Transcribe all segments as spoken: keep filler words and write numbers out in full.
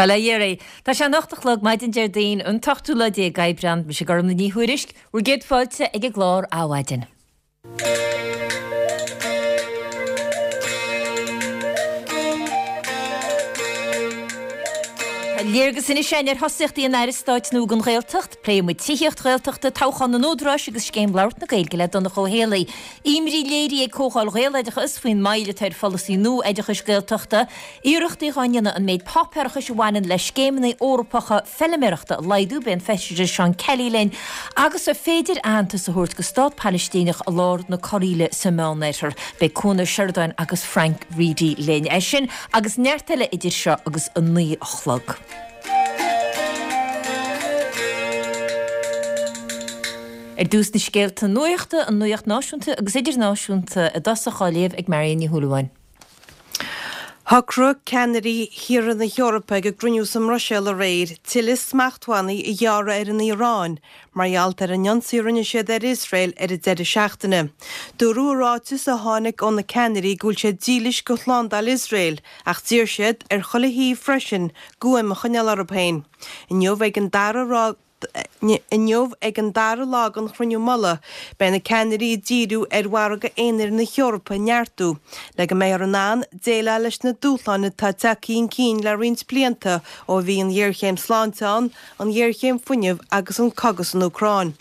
Bail ó Dhia oraibh. Tá sé an ocht a chlog maidin Déardaoin an t-ochtú lá déag Aibreán, mise Gormlaith Ní Thuairisg, bhur gcéad fáilte ag an gclár Adhmhaidin. Tá léargas anois againn ar thosaíochtaí an Aire Stáit nua don Ghaeltacht. Pléifidh muid tithíocht Ghaeltachta, toghchán na n-údaráis agus scéim labhairt na Gaeilge le Donncha Ó Héalaí. Imní léirithe ag Comhdháil Ghaeloideachas faoin moill atá ar pholasaí nua oideachais Gaeltachta. Iarrachtaí dhá ndéanamh an méid páipéarachais a bhaineann le scéimeanna Eorpacha feilméarachta a laghdú, beidh an Feisire Seán Kelly linn agus an féidir aitheantas a thabhairt go stát Palaistíneach i lár na corraíle sa Meánoirthear. Beidh Cuan Ó Seireadáin agus Frank Reidy linn. É sin agus neart eile idir seo agus a naoi a chlog. Ar dtús na scéalta nuachta, an nuacht náisiúnta agus idirnáisiúnta i dtosach á léamh ag Marion Ní Shúilleabháin. Shocraigh ceannairí thíortha na hEorpa ag a gcruinniú sa mBruiséil aréir tuilleadh smachtbhannaí a ghearradh ar an Iaráin mar gheall ar an ionsaí a rinne siad ar Iosrael ar an deireadh seachtaine. Dúradh i ráiteas a tháinig ó na ceannairí go bhfuil siad dílis go shlándáil Iosrael ach d'iarr siad ar chuile thaobh freisin guaim a choinneáil orthu féin. Inniu ag an dara Inniu ag an dara lá den chruinniú mullaigh, beidh na ceannairí ag díriú ar mhargadh aonair na hEorpa a neartú, le go mbeifear in ann déileáil leis na dúshláin atá tagtha chun cinn le roinnt blianta ó bhí an ghéarchéim sláinte ann, an ghéarchéim fuinnimh agus an cogadh san Úcráin.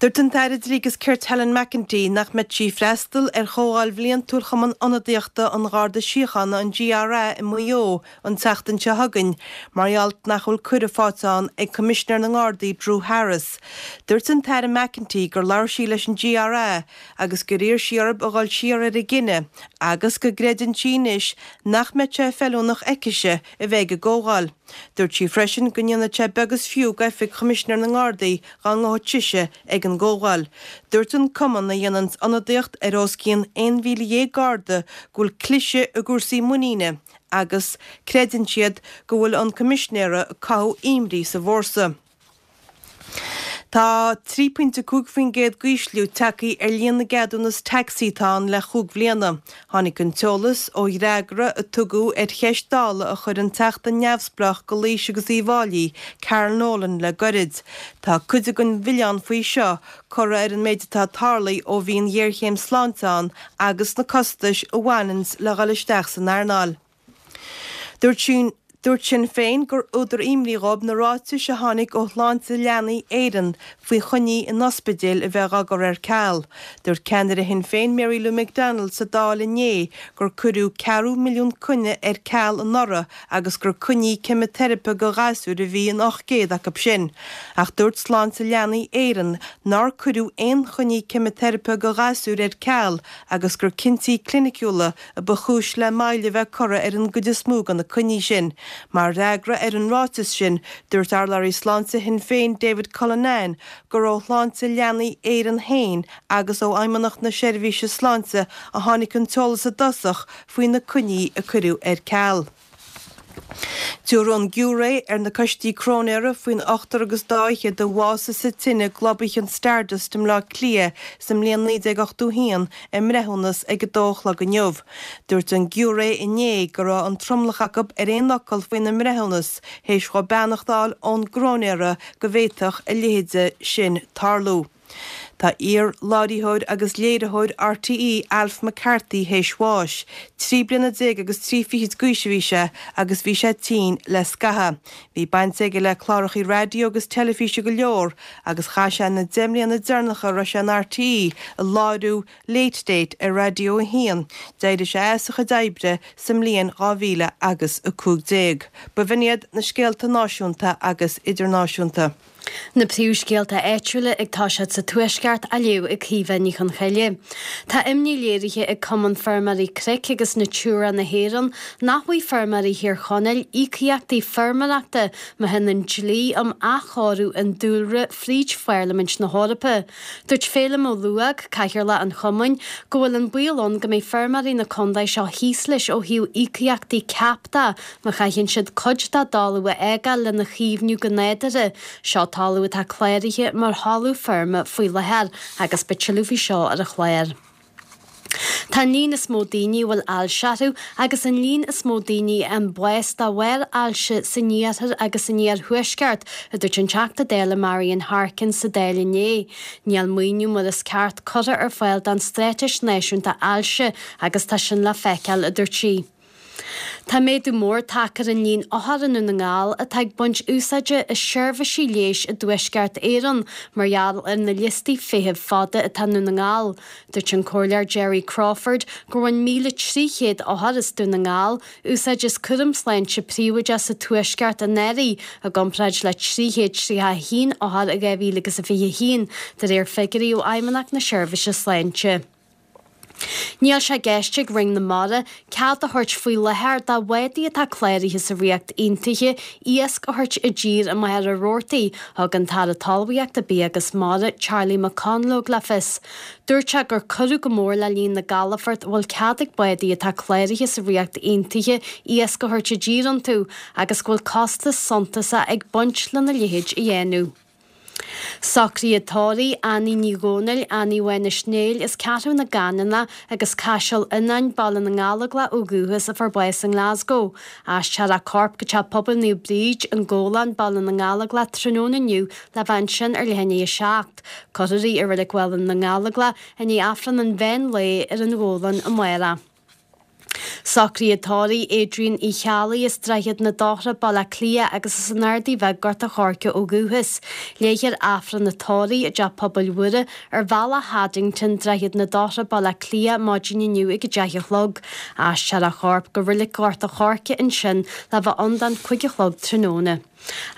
Dúirt an tAire Dlí agus Cirt Helen McEntee nach mbeidh sí ag freastal ar chomhdháil bhliantúil Chumann Ionadaíochta an Gharda Síochána, an GRA, i Maigh Eo an tseachtain seo chugainn mar gheall nach bhfuil cuireadh faighte ann ag Coimisinéir na nGardaí Drew Harris. Dúirt an tAire McEntee gur labhair sí leis an GRA agus gur iarr sí orthu a dhul siar ar a gcinneadh agus go gcreideann sí anois nach mbeadh sé feiliúnach aicise a bheith ag an gcomhdháil. Dúirt sí freisin go ndéanfadh sé beag is fiú d'oifig Choimisinéir na nGardaí dá ngabhfadh sise ag an gcomhdháil. Dúirt an cumann, a dhéananns ionadaíocht ar os cionn aon mhíle dhéag Garda, go bhfuil cliseadh i gcúrsaí muiníne agus creideann siad go bhfuil an Coimisinéir ag cothú imní sa bhfórsa. Tá trí pointe cúig faoin gcéad d'ísliú tagtha ar líon na gceadúnas tacsaí atá ann le chúig bhliana. Tháinig an t-eolas ó fhreagra a tugadh ar cheist Dála a chuir an Teachta neamhspleách go Laois agus Uíbh Fháilí, Carol Nolan le goirid. Tá cuid den mhilleán faoi seo curtha ar an méid atá tarlaithe ó bhí an ghéarchéim sláinte ann agus na costais a bhaineanns le dhul isteach san earnáil. Dúirt Dúirt Sinn Féin gur údar imní dhóibh na ráitis a tháinig ó Shláinte Leanaí Éireann faoi choinní in ospidéil a bheith á gcur ar ceal. Dúirt ceannaire Shinn Féin Mary Lou McDonald sa Dáil inné gur cuireadh ceathrú milliún coinne ar ceal anuraidh agus gur coinní ceimiteiripe go ghasúir a bhí in ocht gcéad acu sin. Ach dúirt Sláinte Leanaí Éireann nár cuireadh aon choinní ceimiteiripe go ghasúir ar ceal agus gur cinntí cliniciúla a ba chúis le moill a bheith curtha ar an gcuid is mó de na coinní sin. Mar fhreagra ar an ráiteas sin, dúirt urlabhraí sláinte Shinn Féin David Cullinane gur ó Shláinte Leanaí Éireann féin agus ó Fheidhmeannacht na Seirbhíse Sláinte a tháinig an t-eolas i dtosach faoi na coinní a cuireadh ar ceal. Tabharfaidh an giúiré ar na coistí cróinéara faoin ochtar agus dá fhichead a bhásaigh sa tine i gclub oíche an Stardust i mBleá Cliath sa mbliain naoi déag ochtó haon a mbreithiúnas ag a dó a chlog inniu. Dúirt an giúiré inné go raibh an tromlach acu ar aon fhocal faoina mbreithiúnas, théis dhóibh beannacht a fháil ón gcróinéara go bhféadfadh a leithéide sin tarlú. Tá iar-láithreoir agus léiritheoir RTÉ Alf McCarthy théis bháis. Trí bliana déag agus trí fichid d'aois a bhí sé agus bhí sé tinn le scaitheamh. Bhí baint aige le clárachaí raidió agus teilifíse go leor agus chaith sé na deich mbliana deireanacha a raibh sé in RTÉ ag láithriú Late Date ar Raidió a hAon. D'éirigh sé as a chuid oibre sa mbliain dhá mhíle agus a cúig déag. B'in iad na scéalta náisiúnta agus idirnáisiúnta. Na príomhscéalta áitiúla ag toiseacht sa Tuaisceart á léamh ag Caoimhe Ní Chonchoille. Tá imní léirithe ag Cumann Feirmeoirí Cnoic agus Natura na hÉireann nach bhfaighidh feirmeoirí Thír Chonaill íocaíochtaí feirmeoireachta má théann an dlí um athchóiriú an dúlra fríd Pharlaimint na hEorpa. Dúirt Féilim Ó Lubhág, Cathaoirleach an Chumainn, go bhfuil an baol ann go mbeidh feirmeoirí na contae seo thíos leis ó thaobh íocaíochtaí CAP de má chaitheann siad cuid dá dtalamh a fhágáil lena chaomhnú go nádúrtha. Seo talamh atá cláraithe mar thalamh feirme faoi láthair agus beidh tuilleadh faoi seo ar an chlár. Tá an líon is mó daoine a bhfuil ailse orthu agus an líon is mó daoine a fhaigheann bás de bharr ailse san iarthar agus san iarthuaisceart, a dúirt an Teachta Dála Marian Harkin sa Dáil inné. Níl maoiniú mar is ceart curtha ar fáil don Straitéis Náisiúnta Ailse agus tá sin le feiceáil, a dúirt sí. Tá méadú mór tagtha ar an líon othar i nDún na nGall atá ag baint úsáide as seirbhísí leighis i dTuaisceart Éireann mar gheall ar na liostaí feithimh fada atá i nDún na nGall. Dúirt an Comhairleoir Gerry Crawford gur bhain míle trí chéad othar as Dún na nGall úsáid as cúram sláinte príobháideach sa Tuaisceart anuraidh i gcomparáid le trí chéad tríocha a haon othar i dhá mhíle agus a fiche a haon, de réir figiúirí ó Fheidhmeannacht na Seirbhíse Sláinte. Níl sé i gceist ag Roinn na Mara cead a thabhairt faoi láthair do bhádaí atá cláraithe sa Ríocht Aontaithe iasc a thabhairt i dtír i Machaire Rabhartaigh, thug an tAire Talmhaíochta, Bia agus Mara, Charlie McConalogue le fios. Dúirt sé gur cuireadh go mór le líon na gcalafort a bhfuil cead ag bádaí atá cláraithe sa Ríocht Aontaithe iasc a thabhairt i dtír iontu agus go bhfuil costas suntasach ag baint lena leithéid a dhéanamh. Socruithe tórraimh Annie Ní Dhomhnaill, Annie Mhánais Néill as Ceathrú na gCanónach agus Caiseal Fhionáin, Baile na nGallóglach ó dhúchas a fuair bás i nGlasgow. Aistreofar a corp go Teach Pobail Naomh Bríd, An Gabhlán, Baile na nGallóglach tráthnóna inniu le bheith ansin ar leath i ndiaidh a seacht. Cuirfear í i Reilig Bhaile na nGallóglach i ndiaidh Aifreann an mheán lae ar an Ghabhlán amárach. Socruithe tórraimh Adrian Uí Cheallaigh as Droichead na Dothra, Baile Átha Cliath agus as an Ardaidh Bheag, Gort a' Choirce ó dhúchas. Léifear Aifreann an tórraimh i dTeach Pobail Mhuire ar Bhealach Haddington, Droichead na Dothra, Baile Átha Cliath, maidin inniu ag a deich a chlog. Aistreofar a chorp go Reilig Ghort a' Choirce ansin le bheith ann don cúig a chlog tráthnóna.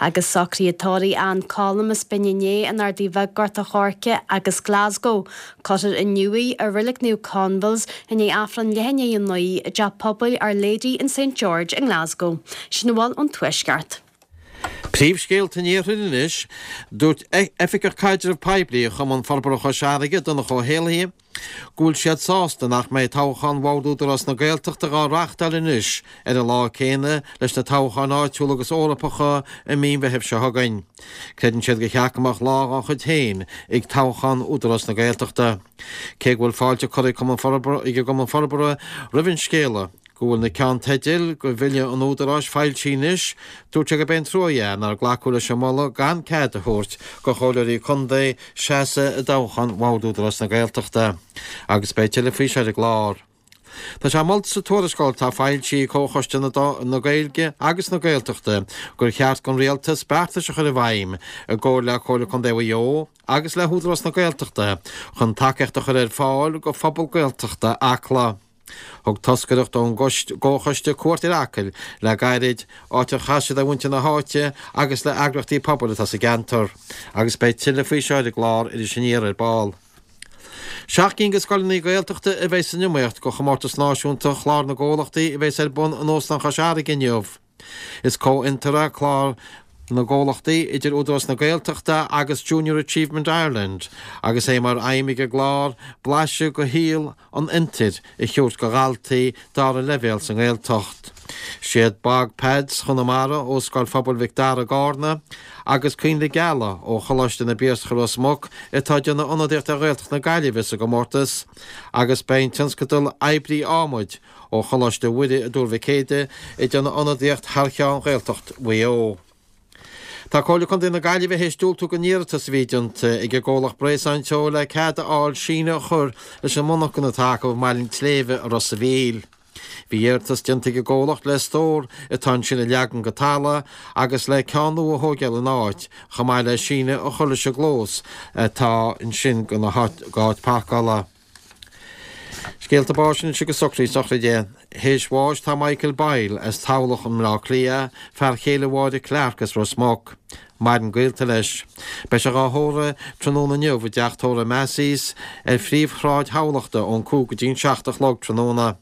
Agus socruithe tórraimh Ann Colm as Binn Éadair, An Ardaidh Bheag, Gort a' Choirce agus Glasgow. Cuirfear inniu í i Reilig Naomh Conville's i ndiaidh Aifreann leath i ndiaidh a naoi i dTeach Pobail Our Lady and Saint George i nGlasgow. Sin a bhfuil ón Tuaisceart. Príomhscéalta an Iarthair anois, Dúirt Oifigeach Caidreamh Poiblí Chumann Forbartha Chois Fharraige, Donncha Ó hÉallaithe, go bhfuil siad sásta nach mbeidh toghchán Bhord Údarás na Gaeltachta dhá reáchtáil anois ar an lá céanna leis na toghcháin áitiúla agus Eorpacha i mí an Mheithimh seo chugainn. Creideann siad gur cheart go mbeadh lá dhá chuid féin ag toghchán Údarás na Gaeltachta. Cé go bhfuil fáilte curtha ag ag an gCumann Forbartha roimh an scéala, go bhfuil na ceannteidil do Bhille an Údaráis foilsithe anois, dúirt sé gurb é an trua é nár glacadh leis an moladh gan cead a thabhairt do chomhairleoirí contae seasamh i dtoghchán Bhord Údarás na Gaeltachta. Agus beidh tuilleadh faoi seo ar an gclár. Tá sé molta sa tuarascáil atá foilsithe ag Comhchoiste na Gaeilge agus na Gaeltachta gur cheart don Rialtas beartais a chur i bhfeidhm i gcomhar le Comhairle Contae Mhaigh Eo agus le hÚdarás na Gaeltachta chun tacaíocht a chur ar fáil do phobal Gaeltachta Acla. Thug toscaireacht ón gComhchoiste cuairt ar Acaill le gairid, áit ar chas siad le muintir na háite agus le heagraíochtaí pobail atá sa gceantar, agus beidh tuilleadh faoi seo ar an gclár Iris Aniar ar ball. Seacht gcinn de scoileanna Gaeltachta a bheidh san iomaíocht do chomórtas náisiúnta Chlár na gComhlachtaí a bheas ar bun in Óstán Chois Fharraige inniu. Is comhfhiontar é Clár na gComhlachtaí idir Údarás na Gaeltachta agus Junior Achievement Ireland agus é mar aidhm ag an gclár blaiseadh de shaol an fhiontair a thabhairt do dhaltaí dara leibhéal sa nGaeltacht. Siad Bog Pads Chonamara ó Scoil Phobail Mhic Dara i gCarna agus Coinnle Geala ó Choláiste na bPiarsach i Ros Muc atá ag déanamh ionadaíocht ar Ghaeltacht na Gaillimhe sa gcomórtas agus beidh an tionscadal Oibrí Adhmaid ó Choláiste Mhuire i dTuar Mhic Éadaigh ag déanamh ionadaíocht thar cheann Ghaeltacht Mhaigh Eo. Tá Comhairle Contae na Gaillimhe théis diúltú don iarratas a bhí déanta ag an gcomhlacht Bréasáin Teo le cead a fháil síneadh a chur leis an monarcha atá acu i mBaile an tSléibhe i Ros a' Mhíl. Bhí iarratas déanta ag an gcomhlacht le stór atá ansin a leagan go talamh agus le ceann nua a thógáil ina áit, chomh maith le síneadh a chur leis an gclós atá ansin go háit páirceála. Scéalta báis anois agus socruithe sochraide. Théis bháis tá Michael Boyle as Tamhlacht i mBleá Cliath, fear chéile Mháire Clarke as Ros Muc. Maireann gaolta leis. Beidh sé dhá thórramh tráthnóna inniu i dteach tórraimh Massey's ar phríomhshráid Thamhlachta ón cúig go dtí an seacht a chlog tráthnóna.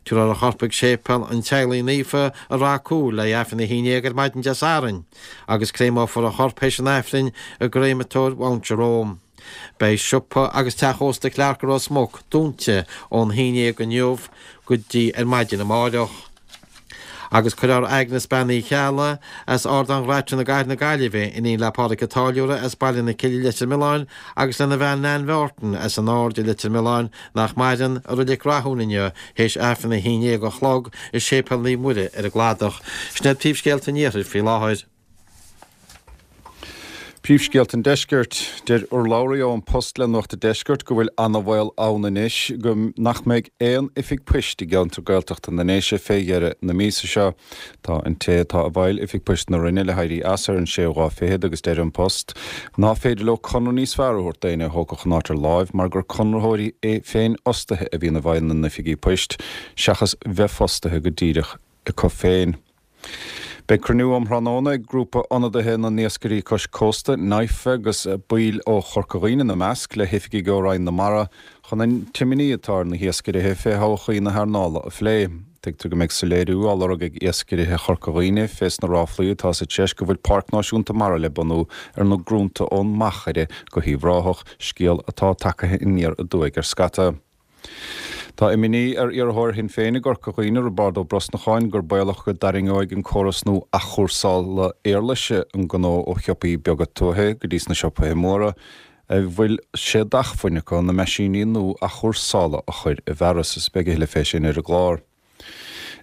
Tabharfar a chorp ag Séipéal an Teaghlaigh Naofa i Rath Cúil le Aifreann a haon déag ar maidin Dé Sathairn agus créamófar a chorp théis an Aifrinn i gcréamatóir Mount Jerome. Beidh siopa agus teach ósta Clarke i Ros Muc dúnta ón haon déag inniu go dtí ar maidin amáireach. Agus cuirfear Agnes Bean Uí Cheallaigh as Ardán Ghraitin i gCathair na Gaillimhe, iníon le Pádraig an Táilliúra as Baile na Cille Leitir Mealláin agus lena bhean Nan Mhártain as an Aird i Leitir Mealláin nach maireann, i Reilig Rathúin inniu théis Aifreann a haon déag a chlog i Séipéal Naomh Muire ar an gCladach. Sin iad príomhscéalta an Iarthair faoi láthair. Príomhscéalta an Deiscirt. Deir urlabhraí ó An Post le Nuacht an Deiscirt go bhfuil ana-bhaol ann anois go nach mbeidh aon oifig poist i gceantar Gaeltachta na nDéise fé dheireadh na míosa seo. Tá an té atá i bhfeighil Oifig Poist na Rinne le héirí as ar an séú lá fichead agus deir An Post ná féidir leo conradh níos fearr a thabhairt d'éinne a thógfadh an áit ar láimh mar gur conraitheoirí féinfhostaithe a bhíonn i bhfeighil na n-oifigí poist seachas bheith fostaithe go díreach acu féin. Beidh cruinniú um thráthnóna ag grúpa ionadaithe na n-iascairí cois cósta, NIFA, agus baill ó Chorca Dhuibhne ina measc, le hoifigigh ó Roinn na Mara chun an t-imní atá ar na hiascairithe fé thodhchaí na hearnála a phlé. Tuigtear go mbeidh soiléiriú á lorg ag iascairithe Chorca Dhuibhne fés na ráflaí atá sa treis go bhfuil Páirc Náisiúnta Mara le bunú ar na grúnta ón Machaire go hUíbh Ráthach, scéal atá tagtha aniar aduaidh ar scata. Tá imní ar iarrthóir Shinn Féin i gCorca Dhuibhne, Roibeárd Ó Brosnacháin, gur baolach go dtarraingeoidh an córas nua athchúrsála éarlaise an gnó ó shiopaí beaga tuaithe go dtí sna siopaithe móra a bhfuil sé d'acmhainn acu na meaisíní nua athchúrsála a chur i bhfearas. Is beidh a thuilleadh fé sin ar an gclár.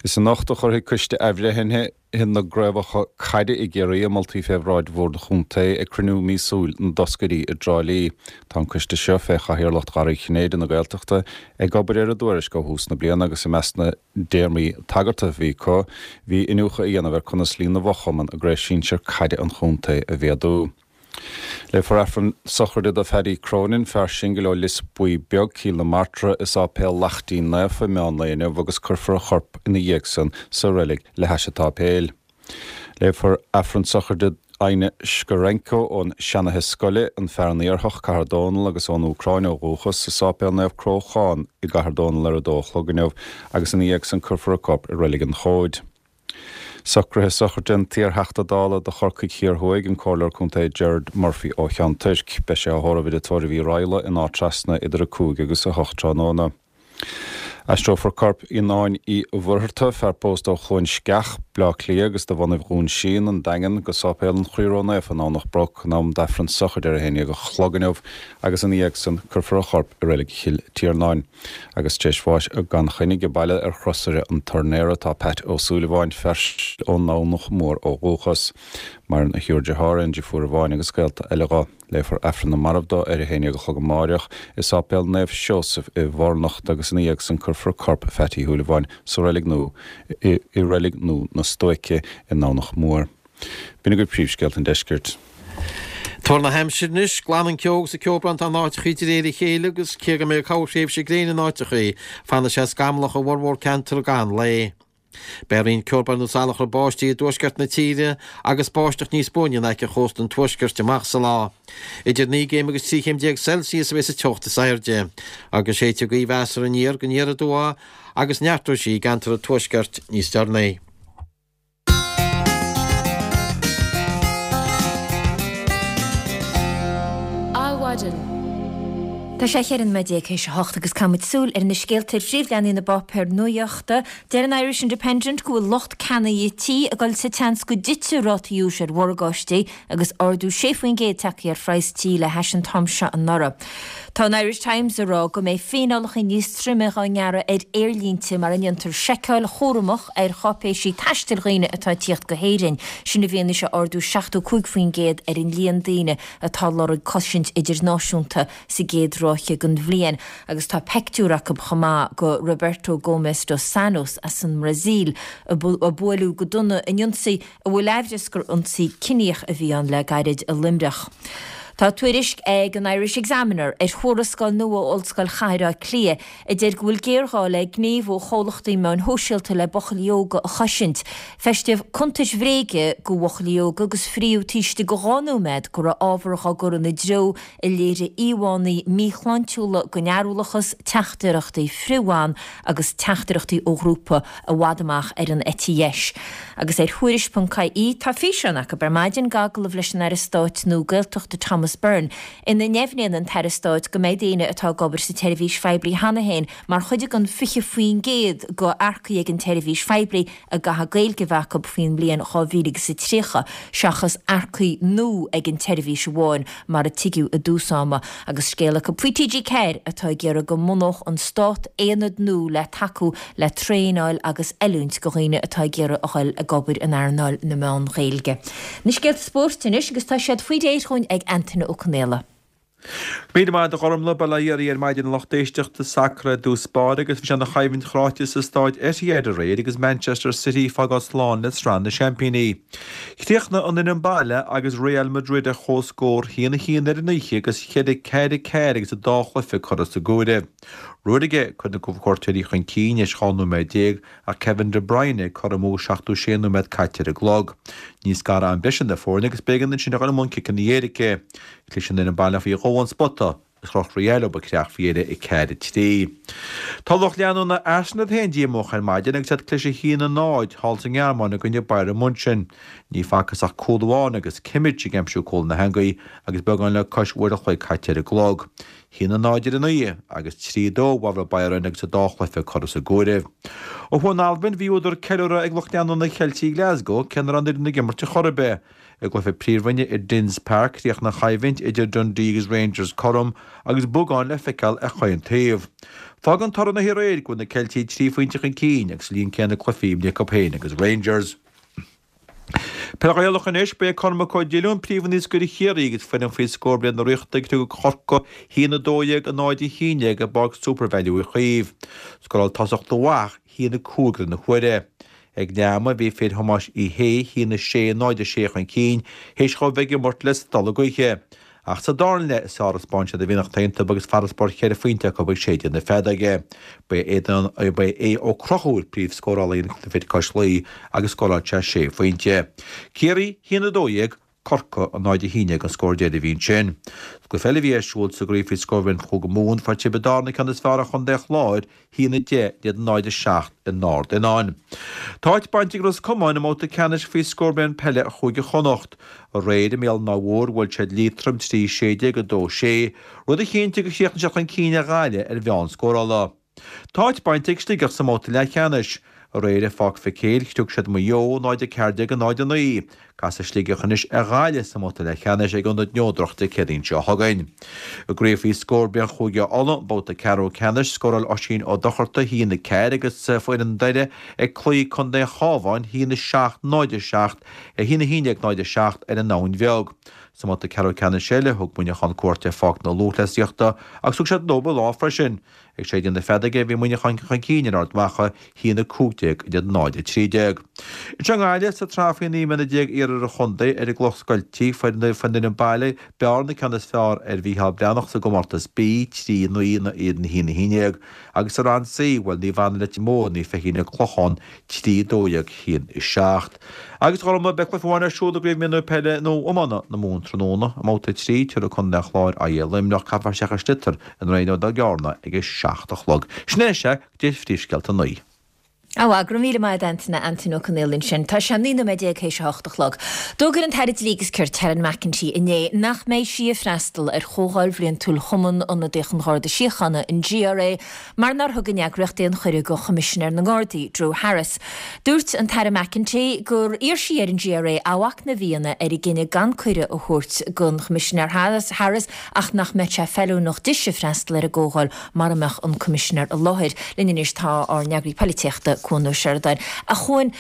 Is anocht a chuirfidh Coiste Athbhreithnithe na gCraobhacha Caide i gCiarraí a moltaí fé bhráid Bhord an Chontae ag cruinniú míosúil na dtoscairí i dTrá Lí. Tá an coiste seo, fé chathaoirleacht Gharraí Chinnéide na Gaeltachta, ag obair ar a dtuairisc ó thús na bliana agus i measc na dtéarmaí tagartha a bhí acu bhí iniúchadh a dhéanamh ar conas líon na bhfochumann i gCraobh Sinsir Caide an chontae a mhéadú. Léifear Aifreann sochraide do Phaddy Cronin, fear singil ó Lios Buí Beag, Cill na Martra, i Sáipéal Laichtín Naofa i meán lae inniu agus cuirfear a chorp ina dhiaidh san sa reilig le hais an tsáipéil. Léifear Aifreann sochraide d'Fhainne Shkarenko ón Seanfhaiche Scoile, An Fearann Iarthach, Cathair Dónall agus ón Úcráin ó dhúchas, i Sáipéal Naomh Cróchán i gCathair Dónall ar a dó a chlog inniu agus ina dhiaidh san cuirfear a corp i Reilig an Chóid. Socruithe sochraide an t-iarTheachta Dála do Chorcaigh Thiar Thuaidh, an Comhairleoir Contae Gerard Murphy ó Cheann Toirc. Beidh sé á thórramh i dTigh Tórraimh Uí Raghallaigh in Áth Trasna idir a cúig agus a hocht tráthnóna. Aistreofar corp Fhionnáin Uí Mhuircheartaigh, fear pósta ó Chluain Sceach, Bleá Cliath agus de bhunaibh Dhún Síon, An Daingean, go Sáipéal an Chroí Ró-Naofa i nDomhnach Broc in am d'Aifreann sochraide ar a haon dhéag a chlog inniu agus ina dhiaidh san cuirfear a chorp i Reilig Chill Tiarnáin. Agus tar éis bháis gan choinne age baile ar chrosaire an Tornaera tá Pat Ó Súilleabháin, fear ón nDomhnach Mór ó dhúchas. Maireann a thriúr dearthár, aon deirfiúr amháin agus gaolta eile dho. Léifear Aifreann na Marbh dó ar a haon déag a chlog amáireach i Sáipéal Naomh Seosamh i bhFornocht agus ina dhiaidh san cuirfear corp Phatty Uí Shúilleabháin sa reilig nua i reilig nua na Stuaice i nDomhnach Mór. B'in agaibh príomhscéalta an deiscirt. Tuar na haimsire anois, glanann ceo agus ceobhrán in áiteachaí de réir a chéile agus cé go mbeidh corrthréimhse gréine in áiteachaí, fanfaidh sé scamallach i bhformhór ceantar i gcaitheamh an lae. Beidh roinnt ceobhrán nó salachar báistí i dtuaisceart na tíre agus báisteach níos buaine in aice chósta an tuaiscirt amach sa lá. Idir naoi gcéim agus trí chéim déag Celsius a bheidh sa teocht is airde, agus séidfidh gaoth mheasartha aniar go aniar aduaidh agus neartóidh sí i gceantar an tuaiscirt níos deireanaí. Adhmhaidin. Tá sé cheithre nóiméad déag théis a hocht agus caithfimid súil ar na scéalta ar phríomhleathanaigh na bpáipéar nuachta. Deir an Irish Independent go bhfuil lucht ceannaithe tí ag dul sa tseans go dtitfidh rátaí úis ar mhorgáistí agus ardú sé faoin gcéad tagtha ar phraghas tí le hais an t-am seo anuraidh. Tá an Irish Times ag rá go mbeidh fíneálacha níos troime á ngearradh ar aerlínte mara ndéantar seiceáil chúramach ar cháipéisí taistil dhaoine atá ag tíocht go hÉirinn. Sin i bhfianaise ardú seachtó cúig faoin gcéad ar an líon daoine atá ag lorg cosaint idirnáisiúnta sa gcéad ráithe den bhliain agus tá peictiúr acu chomh maith de Roberto Gomes dos Santos as an mBrasaíl a buaileadh go dona in ionsaí a bhfuil aimhreas gur ionsaí ciníoch a bhí ann le gairid i Luimneach. Tá tuairisc ag an Irish Examiner ar thuarascáil nua ó Ollscoil Chathair Átha Cliath a deir go bhfuil géarghá le gníomh ó chomhlachtaí meáin shóisialta le buachaillí óga a chosaint. Feistíodh cuntais bhréige do bhuachaillí óga agus fríodh taobh istigh de dhá nóiméad go raibh ábhar á gcur ina dtreo a léirigh íomhánna míshláintiúla den fhearúlachas, teachtaireachtaí frith-bhan agus teachtaireachtaí ó ghrúpa i bhfad amach ar an eite dheis. Agus ar Thuairisc ponc ie tá físeán acu ar maidin d'agallamh leis an Aire Stáit nua Gaeltachta Thomas Thomas Byrne, ina ndeimhníonn an tAire Stáit go mbeidh daoine atá ag obair sa tseirbhís phoiblí cheana féin mar chuid den fiche faoin gcéad de earcaigh ag an tseirbhís phoiblí a gcaithfidh Gaeilge a bheith acu faoin mbliain dhá mhíle agus a tríocha, seachas earcaigh nua ag an tseirbhís amháin mar a tuigeadh i dtús ama. Agus scéal acu faoi T G ceathair atá ag iarraidh go mbunódh an Stát aonad nua le tacú le traenáil agus oiliúint do dhaoine atá ag iarraidh a dhul ag obair in earnáil na meán Gaeilge. Na scéalta spóirt anois agus tá siad faoi réir dhúinn ag Antaine Ó Conaola. Míle maith agat a Ghormlaith, bail ó Dhia oraibh ar maidin a lucht éisteachta, sacar i dtús báire agus bhí sé ina choimhlint chráite sa staid Etihad aréir agus Manchester City ag fágáil slán le Sraith na Seaimpíní. Chríochnaigh an fhoireann baile agus Real Madrid ar comhscór a haon a haon ar an oíche agus ceithre ceathair a ceathair agus an dá chluiche curtha sa gcomhaireamh. Ruaidh cuireadh na cuairteoirí chun cinn théis dhá nóiméad déag ach Kevin De Bruyne ag cothromú seachtó sé nóiméad caite ar an gclog. Ní scaradh am breise na foirne agus b'éigean ansin a dhul i mbun ciceanna éirice. Chlis an fhoireann baile faoi dhó ón spota agus chroch Real leo an creach faoi dheireadh ag ceathair a trí. Tá lucht leanúna Arsenal féin díomách ar maidin agus iad ag cliseadh a haon a náid thall sa nGearmáin i gcoinne Bayern München. Ní facthas ach cúl amháin agus Kimmich ag aimsiú cúl na heangaí agus beagán le cois uair a chloig caite ar an gclog. Haon a náid ar an oíche agus trí a dó i bhfabhar Bayern agus an dá chluiche curtha sa gcomhaireamh. Ó thuaidh in Albain bhí údar ceiliúradh ag lucht leanúna Cheiltigh Glasgow cé nach raibh an fhoireann ag imirt ar chor ar bith. I gcluiche Príomhroinne i Dens Park chríochnaigh an choimhlint idir Dundee agus Rangers cothrom agus bogán le feiceáil ar chaon taobh. Fágann toradh na haréir go bhfuil na Ceiltigh trí phointe chun cinn agus líon céanna cluichí imrithe acu féin agus Rangers. Peil Ghaelach anois, ba é Cormac Ó Diolúin príomhnaoscaire Chiarraí agus foireann faoi scór bliana na Ríochta ag criogadh Chorcaí a haon a dó dhéag a náid a haon déag i bPáirc Supervalu Uí Chaoimh. Scóráil tosach mhaith a haon a cúig roimh na huaire. Ag leath ama bhí fir Thomáis Uí Shé a haon a sé náid a sé chun cinn théis dhóibh bheith ag imirt le stolladh gaoithe. Ach sa dara leath is fearr a spáin siad a mhianach iontu agus farasbarr cheithre phointe acu ag séideadh na feadóige. Ba é ba é Aodh Ó Conchúir príomhscórálaí na fir cois Laoi agus scóráil sé sé phointe. Ciarraí a haon a dó dhéag, Corcaigh a náid a haon déag an scór deiridh a bhí ansin. Sa gcluiche eile a bhí ar siúl sa gcraobh faoi scór bhliain Chúige Mumhan, fuair Tiobraid Árann an ceann is fearr ar Chontae an Chláir, a haon a deich in éadan náid a seacht in Ard Fhionáin. Tá áit bainte ag Ros Comáin i mbabhta ceannais faoi scór bliain peile Chúige Chonnacht. Aréir i mBéal an Átha Mhóir bhuail siad Liatroim trí sé déag a dó sé, rud a chinntigh gur chríochnaigh siad chun cinn ar Ghaillimh ar mheán scórála. Tá áit bainte ag Sligeach sa mbabhta leathcheannais. Aréir i Pháirc Mhic Éil chriog siad Maigh Eo, náid a ceathair déag a náid a naoi. Casfaidh Sligeach anois ar Ghaillimh sa mbabhta leathcheannais ag Ionad Neodrach Dé Céadaoin seo chugainn. I gcraobh faoi scór bliain Chúige Uladh, babhta ceathrú ceannais, scóráil Oisín Ó Dochartaigh a haon a ceathair agus foireann Doire ag cloí Contae an Chabháin, a haon a seacht, náid a seacht, a haon a haon déag náid a seacht ar an Abhainn Bheag. Sa mbabhta ceathrú ceannais eile, thug Muineachán cuairt ar Pháirc na Lúthchleasaíochta agus thug siad leo an lá freisin. Ag séideadh na feadóige bhí Muineachán chun cinn ar Ard Mhacha, a haon a cúig déag in éadan náid a trí déag. Anseo i nGaillimh, sa tsraith faoi naoi mbliana déag iarthar an chontae, ar an gCloch Scoiltí, fuair an fhoireann baile Bearna ceann is fearr ar Mhícheál Breathnach sa gcomórtas B, trí a naoi in éadan a haon a haon déag, agus sa rang C, bhuail Naomh Anna Leitir Móir Naomh Feichín an Clochán, trí a dó dhéag a haon a seacht. Agus a Ghormlaith, beidh cluiche amháin ar siúl i gCraobh Mionúir Peile nó Iomána na Mumhan tráthnóna, i mbabhta a trí, tabharfaidh Contae an Chláir aghaidh ar Luimneach, caithfear isteach i sliotar i nDroichead Átha Cearna ag a seacht a chlog. Sin é sea go dtí phríomhscéalta a naoi. Á, go raibh míle maith agat Antaine, Antaine Ó Conaola ansin. Tá sé naoi nóiméad déag théis a hocht a chlog. D'fhógair an tAire Dlí agus Cirt, Helen McEntee, inné nach mbeidh sí ag freastal ar Chomhdháil Bhliantúil Chumann Ionadaíoch an Gharda Síochána, an G R A, mar nár thug an eagraíocht aon chuireadh do Choimisinéir na nGardaí, Drew Harris. Dúirt an tAire McEntee gur iarr sí ar an G R A athmhachnamh a dhéanamh ar a gcinneadh gan cuireadh a thabhairt don Choimisinéir Harris ach nach mbeadh sé feiliúnach dise freastal ar an gcomhdháil mara mbeadh an Coimisinéir i láthair. Linn anois tá ár n-eagraí polaitíochta, Cuan Ó Seireadáin. A Chuain,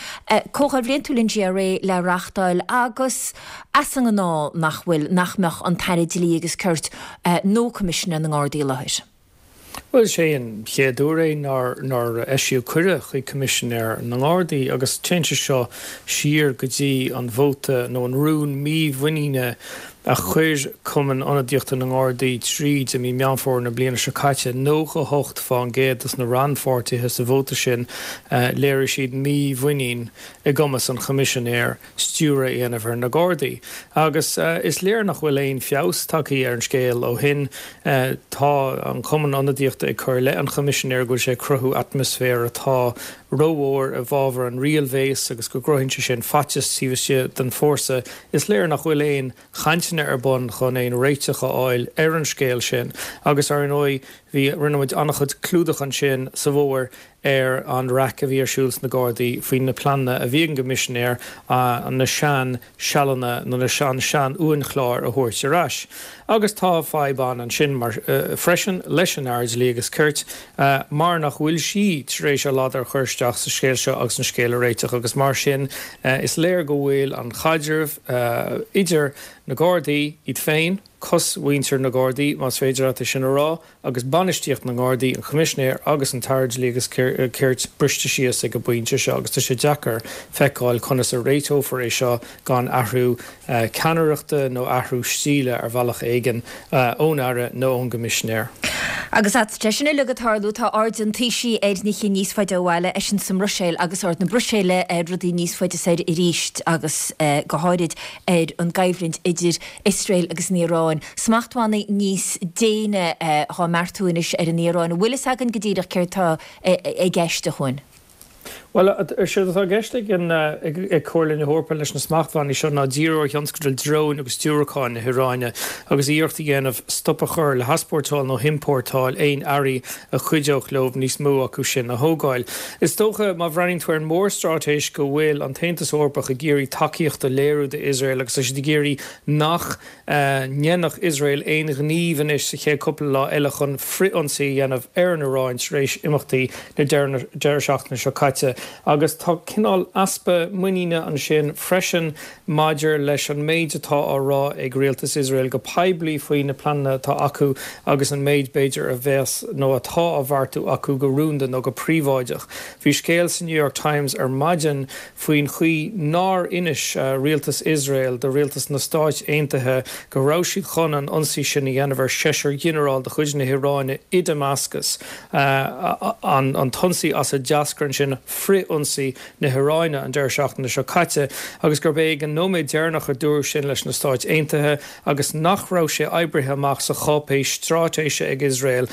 Comhdháil Bhliantúil an G R A le reáchtáil agus as an ngnáth nach bhfuil, nach mbeadh an tAire Dlí agus Cirt nó Coimisinéir na nGardaí i láthair. Bhuel, is é an chéad uair é nár nár eisíodh cuireadh chuig Coimisinéir na nGardaí agus téann sé seo siar go dtí an vóta nó an rún mímhuiníne a chuir Cumann Ionadaíochta na nGardaí tríd i mí Meán Fómhair na bliana seo caite. nócha a hocht fán gcéad dos na rannpháirtithe sa vóta sin, léirigh siad mímhuinín i gcumas an Choimisinéir stiúradh a dhéanamh ar na Gardaí. Agus is léir nach bhfuil aon feabhas tagtha ar an scéal ó shin. Tá an Cumann Ionadaíochta ag cur i leith an Choimisinéir go bhfuil sé ag cruthú atmaisféar atá rómhór i bhfabhar an riailbhéas agus go gcruthaíonn sé sin faitíos taobh istigh den fhórsa. Is léir nach bhfuil aon chainteanna cainteanna ar bun chun aon réiteach a fháil ar an scéal sin agus ar ndóigh bhí rinne muid an-chuid clúdach ansin sa bhfómhar ar an raic a bhí ar siúl sna Gardaí faoi na pleananna a bhí ag an gCoimisinéir na sean sealanna nó na sean sean uainchlár a thabhairt ar ais. Agus tá fadhb ann ansin mar freisin leis an Aire Dlí agus Cirt mar nach bhfuil sí tar éis a ladar a chur isteach sa scéal seo agus an scéal a réiteach agus mar sin is léir go bhfuil an chaidreamh idir na Gardaí iad féin, cosmhuintir na Gardaí, más féidir leat é sin a rá, agus bainistíocht na nGardaí, an Coimisinéir agus an tAire Dlí agus Cirt briste síos ag an bpointe seo agus tá sé deacair feiceáil conas a réiteofar é seo gan athrú ceannaireachta nó athrú stíle ar bhealach éigin ón Aire nó ón gCoimisinéir. Agus tá sin uilig ag tarlú, tá aird an Taoisigh ar nithe níos faide ó bhaile, eisean sa mBruiséil agus aird na Bruiséile ar rudaí níos faide soir arís agus go háirid ar an gcoimhlint idir Iosrael agus an Iaráin. Smachtbhannaí níos déine á mbeartú anois ar an Iaráin. An bhfuil fhios againn go díreach céard atá i gceist, a Chuain? Bhuel, séard atá i gceist ag an ag Comhairle na hEorpa leis na smachtbhannaí seo ná díriú ar thionscadail dróin agus diúracáin na hIaráine agus iarracht a dhéanamh stop a chur le heaspórtáil nó hiompórtáil aon earraí a chuideodh leo níos mó acu sin a thógáil. Is dócha, má bhreathnaíonn tú ar an mórstraitéis, go bhfuil an tAontas Eorpach ag iarraidh tacaíocht a léiriú d'Iosrael agus tá siad ag iarraidh nach ndéanfadh Iosrael aon ghníomh anois sa chéad cúpla lá eile chun frith-ionsaí a dhéanamh ar an Iaráin tar éis imeachtaí na deireadh seachtaine seo caite. Agus tá cineál easpa muiníne ansin freisin maidir leis an méid atá á rá ag rialtas Iosrael go poiblí faoi na pleananna atá acu agus an méid, b'fhéidir, a bheas nó atá á bheartú acu go rúnda nó go príobháideach. Bhí scéal sa New York Times ar maidin faoin chaoi nár inis rialtas Iosrael do rialtas na Stáit Aontaithe go raibh siad chun an ionsaí sin a dhéanamh ar seisear ghinearál de chuid na hIaráine i Damascus, an t-ionsaí as a d'eascair ansin frith-ionsaí na hIaráine an deireadh seachtaine seo caite, agus gurb é ag an nóiméad deireanach a dúradh sin leis na Stáit Aontaithe agus nach raibh sé oibrithe amach sa cháipéis straitéise ag Iosrael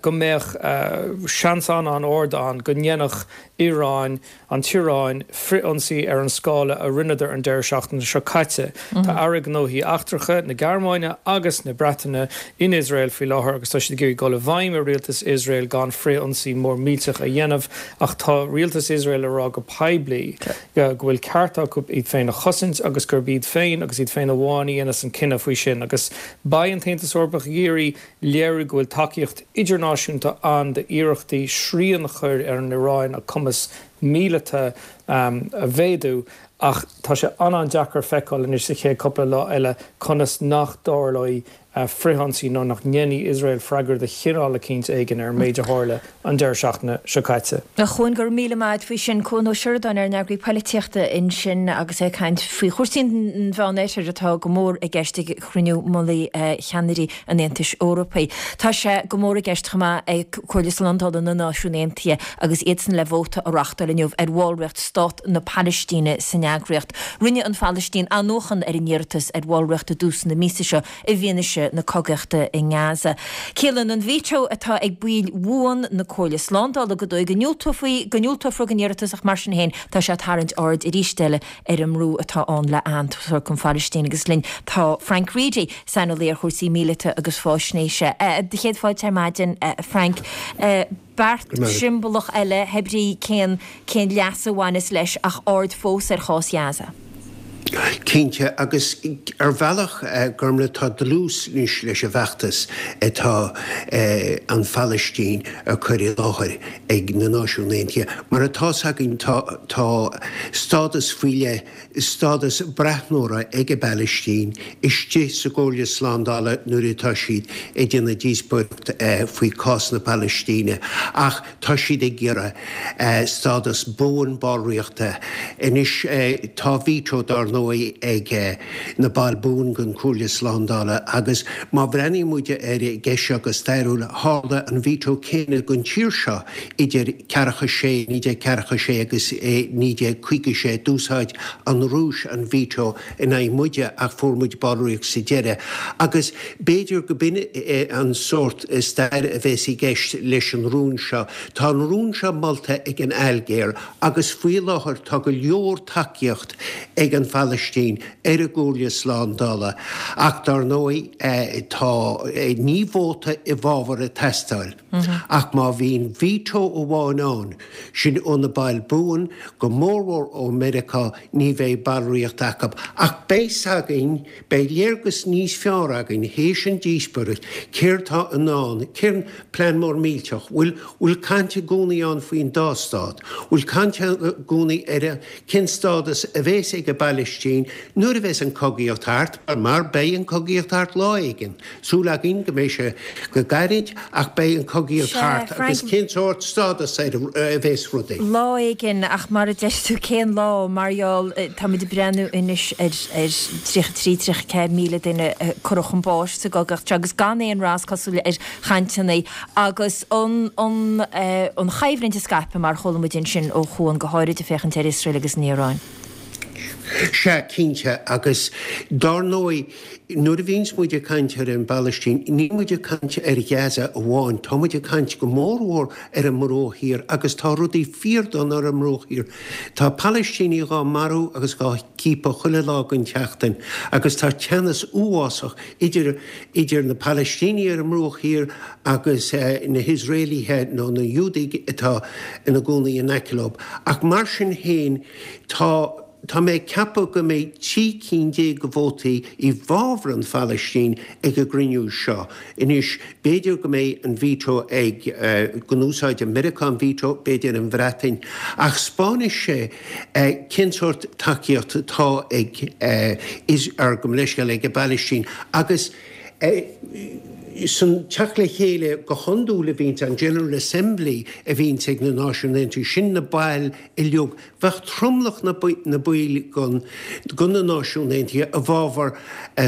go mbeadh seans an-an-ard ann go ndéanfadh Iaráin, an tIaráin, frith-ionsaí ar an scála a rinneadar an deireadh seachtaine seo caite. Tá Airí Gnóthaí Eachtracha na Gearmáine agus na Breataine in Iosrael faoi láthair agus tá siad ag iarraidh dul i bhfeidhm ar rialtas Iosrael gan frith-ionsaí mór millteach a dhéanamh ach tá rialtas Iosrael ag rá go poiblí go bhfuil ceart acu iad féin a chosaint agus gurb iad féin agus iad féin amháin a dhéanfas an cinneadh faoi sin agus beidh an tAontas Eorpach ag iarraidh léiriú go bhfuil tacaíocht idirnáisiúnta ann d'iarrachtaí srian a chur ar an Iaráin a cumas míleata a mhéadú ach tá sé an-an-deacair feiceáil anois sa chéad cúpla lá eile conas nach dtarlóidh frithionsaí nó nach ndéanfaidh Iosrael freagra de chineál eicínt éigin ar an méid a tharla an deireadh seachtaine seo caite. A Chuain, go raibh míle maith agat faoi sin. Cuan Ó Seireadáin, ár n-eagraí poilitíochta ansin agus é ag caint faoi chúrsaí an Mheánoirthir atá go mór i gceist ag cruinniú mullaigh cheannairí an Aontais Eorpaigh. Tá sé go mór i gceist chomh maith ag Comhairle Slándála na Náisiún Aontaithe agus iadsan le vóta a reáchtáil inniu ar bhallraíocht Stát na Palaistíne san eagraíocht. Rinne an Phalaistín athnuachan ar a n-iarratas ar bhallraíocht i dtús na míosa seo i bhfianaise na cogaíochta i nGaza. Ciallaíonn an veto atá ag baill bhuan na Comhairle Slándála go dóigh go ndiúltófaí go ndiúltófar don iarratas ach mar sin féin tá sé ag tarraingt aird arís eile ar an mbrú atá ann le aitheantas a thabhairt don Phalaistín agus linn tá Frank Reidy, saineolaí ar chúrsaí míleata agus faisnéise. Do chéad fáilte ar maidin, Frank. Beart siombalach eile, hé brí cén cén leas a bhaineas leis ach aird fós ar chás Ghaza. Cinnte, agus ar bhealach, Gormlaith, tá dlús anois leis an bhfeachtas atá an Phalaistín a chur i láthair ag na Náisiúin Aontaithe. Mar atá's againn, tá tá stádas faoi leith, stádas breathnóra ag an bPalaistín istigh sa gComhairle Slándála nuair atá siad ag déanamh díospóireacht faoi chás na Palaistíne, ach tá siad ag iarraidh stádas buan ballraíochta. Anois tá veto dar ndóigh ag na baill buan den Chomhairle Slándála agus má bhreathnaíonn muid ar an gceist seo go stairiúil, tharla an veto céanna don tír seo idir ceathracha sé, naoi déag ceathracha sé agus naoi déag caoga sé. D'úsáid an Rúis an veto in aghaidh muide ach fuair muid ballraíocht sa deireadh. Agus b'fhéidir go b'in an sórt stair a bheas i gceist leis an rún seo. Tá an rún seo molta ag an Ailgéir agus faoi láthair tá go leor tacaíocht ag an Phalaistín. Phalaistín ar an gComhairle Slándála ach dar ndóigh tá ní vóta i bhfabhar ag teastáil ach má bhíonn veto amháin ann, sin ó na baill buan, go mórmhór ó Meiriceá, ní bheidh ballraíocht acu. Ach beidh 's againn, beidh léargas níos fearr againn théis an díospóireacht, céard tá i ndán, cén plean mór millteach, bhfuil, bhfuil caint i gcónaí ann faoin dá stát, bhfuil caint i gcónaí ar cén stádas a bheas ag an bPalaistín nuair a bheas an cogaíocht thart, mar beidh an cogaíocht thart lá éigin. Súil againn go mbeidh sé go gairid ach beidh an cogaíocht thart agus cén sórt stádas a bheas rudaí. Lá éigin, ach mar a deir tú, cén lá? Mar gheall, táimid ag breathnú anois ar tríocha trí, tríocha ceathair míle duine curtha chun báis sa gcogaíocht seo agus gan aon rath is cosúil ar chainteanna agus an an choimhlint ag scaipeadh mar a chuala muid ansin ó Chuan, go háirid ag féachaint ar Iosrael agus an Iaráin. Sea, cinnte, agus dár ndóigh, nuair a bhíonns muid ag caint ar an bPalaistín, níl muid ag caint ar Ghaza amháin, tá muid ag caint go mórmhór ar an mBruach Thiar agus tá rudaí fíordhona ar an mBruach Thiar. Tá Palaistínigh dhá marú agus dhá gciapadh chuile lá den tseachtain agus tá teannas uafásach idir idir na Palaistínigh ar an mBruach Thiar agus na hIosraelaithe nó na Iúdaigh atá ina gcónaí in aice leo. Ach mar sin féin, tá. Tá mé ag ceapadh go mbeidh trí cinn déag de vótaí i bhfabhar an Phalaistín ag an gcruinniú seo. Anois, b'fhéidir go mbeidh an veto ag, go n-úsáidfidh Meiriceá an veto, b'fhéidir an Bhreatain, ach 'spáinfidh sé cén sórt tacaíocht atá ag, ar, gabh mo leithscéal, ag an bPalaistín agus san teacht le chéile go hiondúil a bhíonns, an General Assembly a bhíonns ag na Náisiúin Aontaithe, sin na baill uilig, bheadh tromlach na baill de na Náisiúin Aontaithe i bhfabhar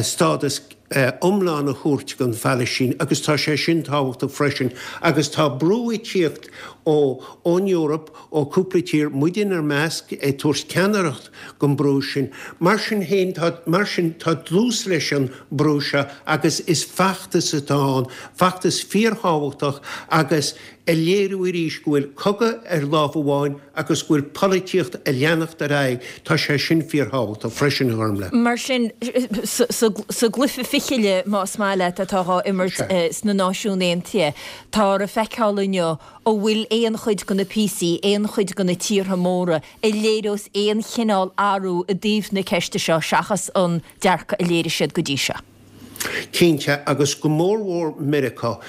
stádas iomlán a thabhairt don Phalaistín agus tá sé sin tábhachtach freisin agus tá brú ag tíocht ó ón Eoraip, ó cúpla tír, muid inár measc, ag tabhairt ceannaireacht don brú sin. Mar sin féin, tá, mar sin, tá dlús leis an brú seo agus is feachtas atá ann, feachtas fíorthábhachtach agus a léiriú arís go bhfuil cogadh ar lámh amháin agus go bhfuil polaitíocht ag leanacht ar aghaidh, tá sé sin fíorthábhachtach freisin, a Ghormlaith. Mar sin, sa gcluiche fichille, más maith leat, atá á imirt sna Náisiúin Aontaithe, táthar ag feiceáil inniu an bhfuil aon chuid de na píosaí, aon chuid de na tíortha móra a léireos aon chineál athrú i dtaobh na ceiste seo seachas an dearcadh a léirigh siad go dtí seo. Cinnte, agus go mórmhór Meiriceá.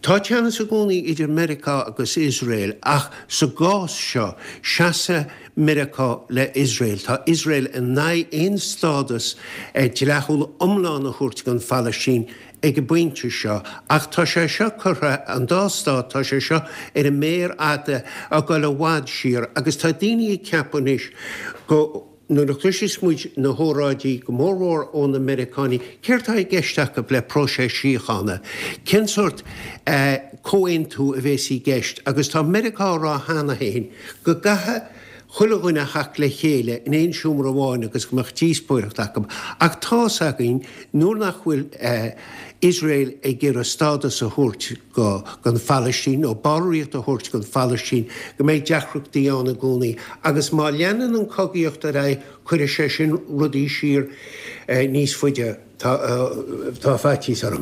Tá teannas i gcónaí idir Meiriceá agus Iosrael ach sa gcás seo, seasfaidh Meiriceá le Iosrael. Tá Iosrael in aghaidh aon stádas dleathúil iomlán a thabhairt don Phalaistín ag an bpointe seo ach tá sé seo curtha, an dá stát, tá sé seo ar an méar fhada ag dul i bhfad siar agus tá daoine ag ceapadh anois go Nuair a chloiseas muid na hóráidí, go mórmhór ó na Meiriceánaigh, céard tá i gceist acu le próiseas síochána? Cén sórt comhaontú a bhéas i gceist? Agus tá Meiriceá á rá cheana féin go gcaithfidh chuile dhuine a theacht le chéile in aon seomra amháin agus go mbeadh díospóireacht acu. Ach tá's againn nuair nach bhfuil Iosrael ag iarraidh stádas a thabhairt go don Phalaistín nó ballraíocht a thabhairt don Phalaistín go mbeidh deacrachtaí ann i gcónaí agus má leanann an cogaíocht ar aghaidh cuirfidh sé sin rudaí siar níos faide. Tá faitíos orm.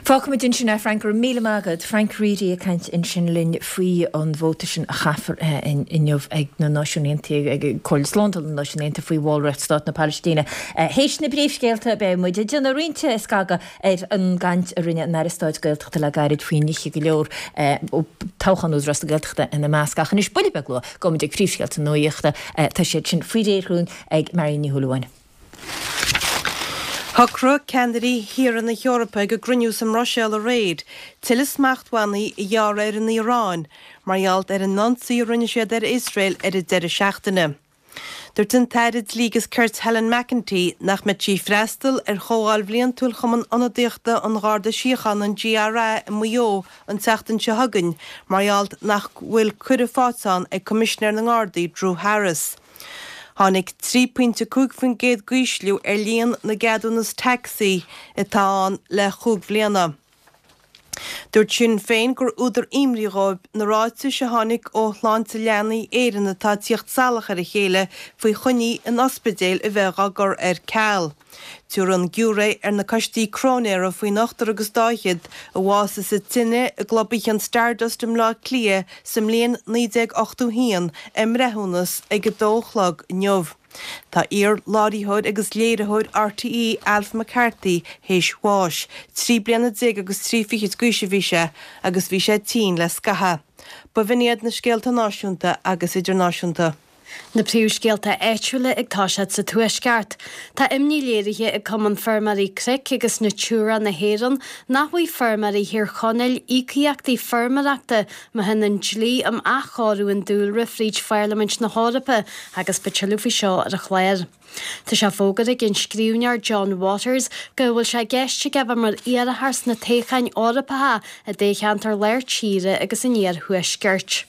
Fágfaimid ansin é, Frank. Go raibh míle maith agat. Frank Reidy ag caint ansin linn faoi an vóta sin a chaithfear inniu ag na Náisiúin Aontaithe, ag Comhairle Slándála na Náisiún Aontaithe faoi bhallraíocht Stát na Palaistíne. Théis na bpríomhscéalta beidh muid ag déanamh roinnt scagadh ar an gcaint a rinne an Aire Stáit Gaeltachta le gairid faoi nithe go leor, toghchán Údarás na Gaeltachta ina measc. Ach anois, buille beag luath, gabhfaimid ag príomhscéalta na nuachta. Tá siad sin faoi réir dhúinn ag Marion Ní Shúilleabháin. Shocraigh ceannairí thíortha na hEorpa ag a gcruinniú sa mBruiséil aréir tuilleadh smachtbhannaí a ghearradh ar an Iaráin mar gheall ar an ionsaí a rinne siad ar Iosrael ar an deireadh seachtaine. Dúirt an tAire Dlí agus Cirt Helen McEntee nach mbeidh sí ag freastal ar chomhdháil bhliantúil Chumann Ionadaíochta an Gharda Síochána, an GRA, i Maigh Eo an tseachtain seo chugainn mar gheall nach bhfuil cuireadh faighte ann ag Coimisinéir na nGardaí Drew Harris. Tháinig trí pointe cúig faoin gcéad d'ísliú ar líon na gceadúnas tacsaí atá ann le chúig bhliana. Dúirt Sinn Féin gur údar imní dhóibh na ráitis a tháinig ó Shláinte Leanaí Éireann atá ag tíocht salach ar a chéile faoi choinní in ospidéil a bheith á gcur ar ceal. Tabharfaidh an giúiré ar na coistí cróinéara faoin ochtar agus dá fhichead a bhásaigh sa tine i gclub oíche an Stardust i mBleá Cliath sa mbliain naoi déag ochtó haon a mbreithiúnas ag a dó a chlog inniu. Tá iar-láithreoir agus léiritheoir RTÉ Alf McCarthy théis bháis. Trí bliana déag agus trí fichid d'aois a bhí sé agus bhí sé tinn le scaitheamh. Ba bh'in iad na scéalta náisiúnta agus idirnáisiúnta. Na príomhscéalta áitiúla ag toiseacht sa Tuaisceart. Tá imní léirithe ag Cumann Feirmeoirí Cnoic agus Natura na hÉireann nach bhfaighidh feirmeoirí Thír Chonaill íocaíochtaí feirmeoireachta má théann an dlí um athchóiriú an dúlra fríd Pharlaimint na hEorpa agus beidh tuilleadh faoi seo ar an chlár. Tá sé fógartha ag an scríbhneoir John Waters go bhfuil sé i gceist aige bheith mar iarrthóir sna toghcháin Eorpacha i dtoghcheantar Lár Tíre agus an Iarthuaiscirt.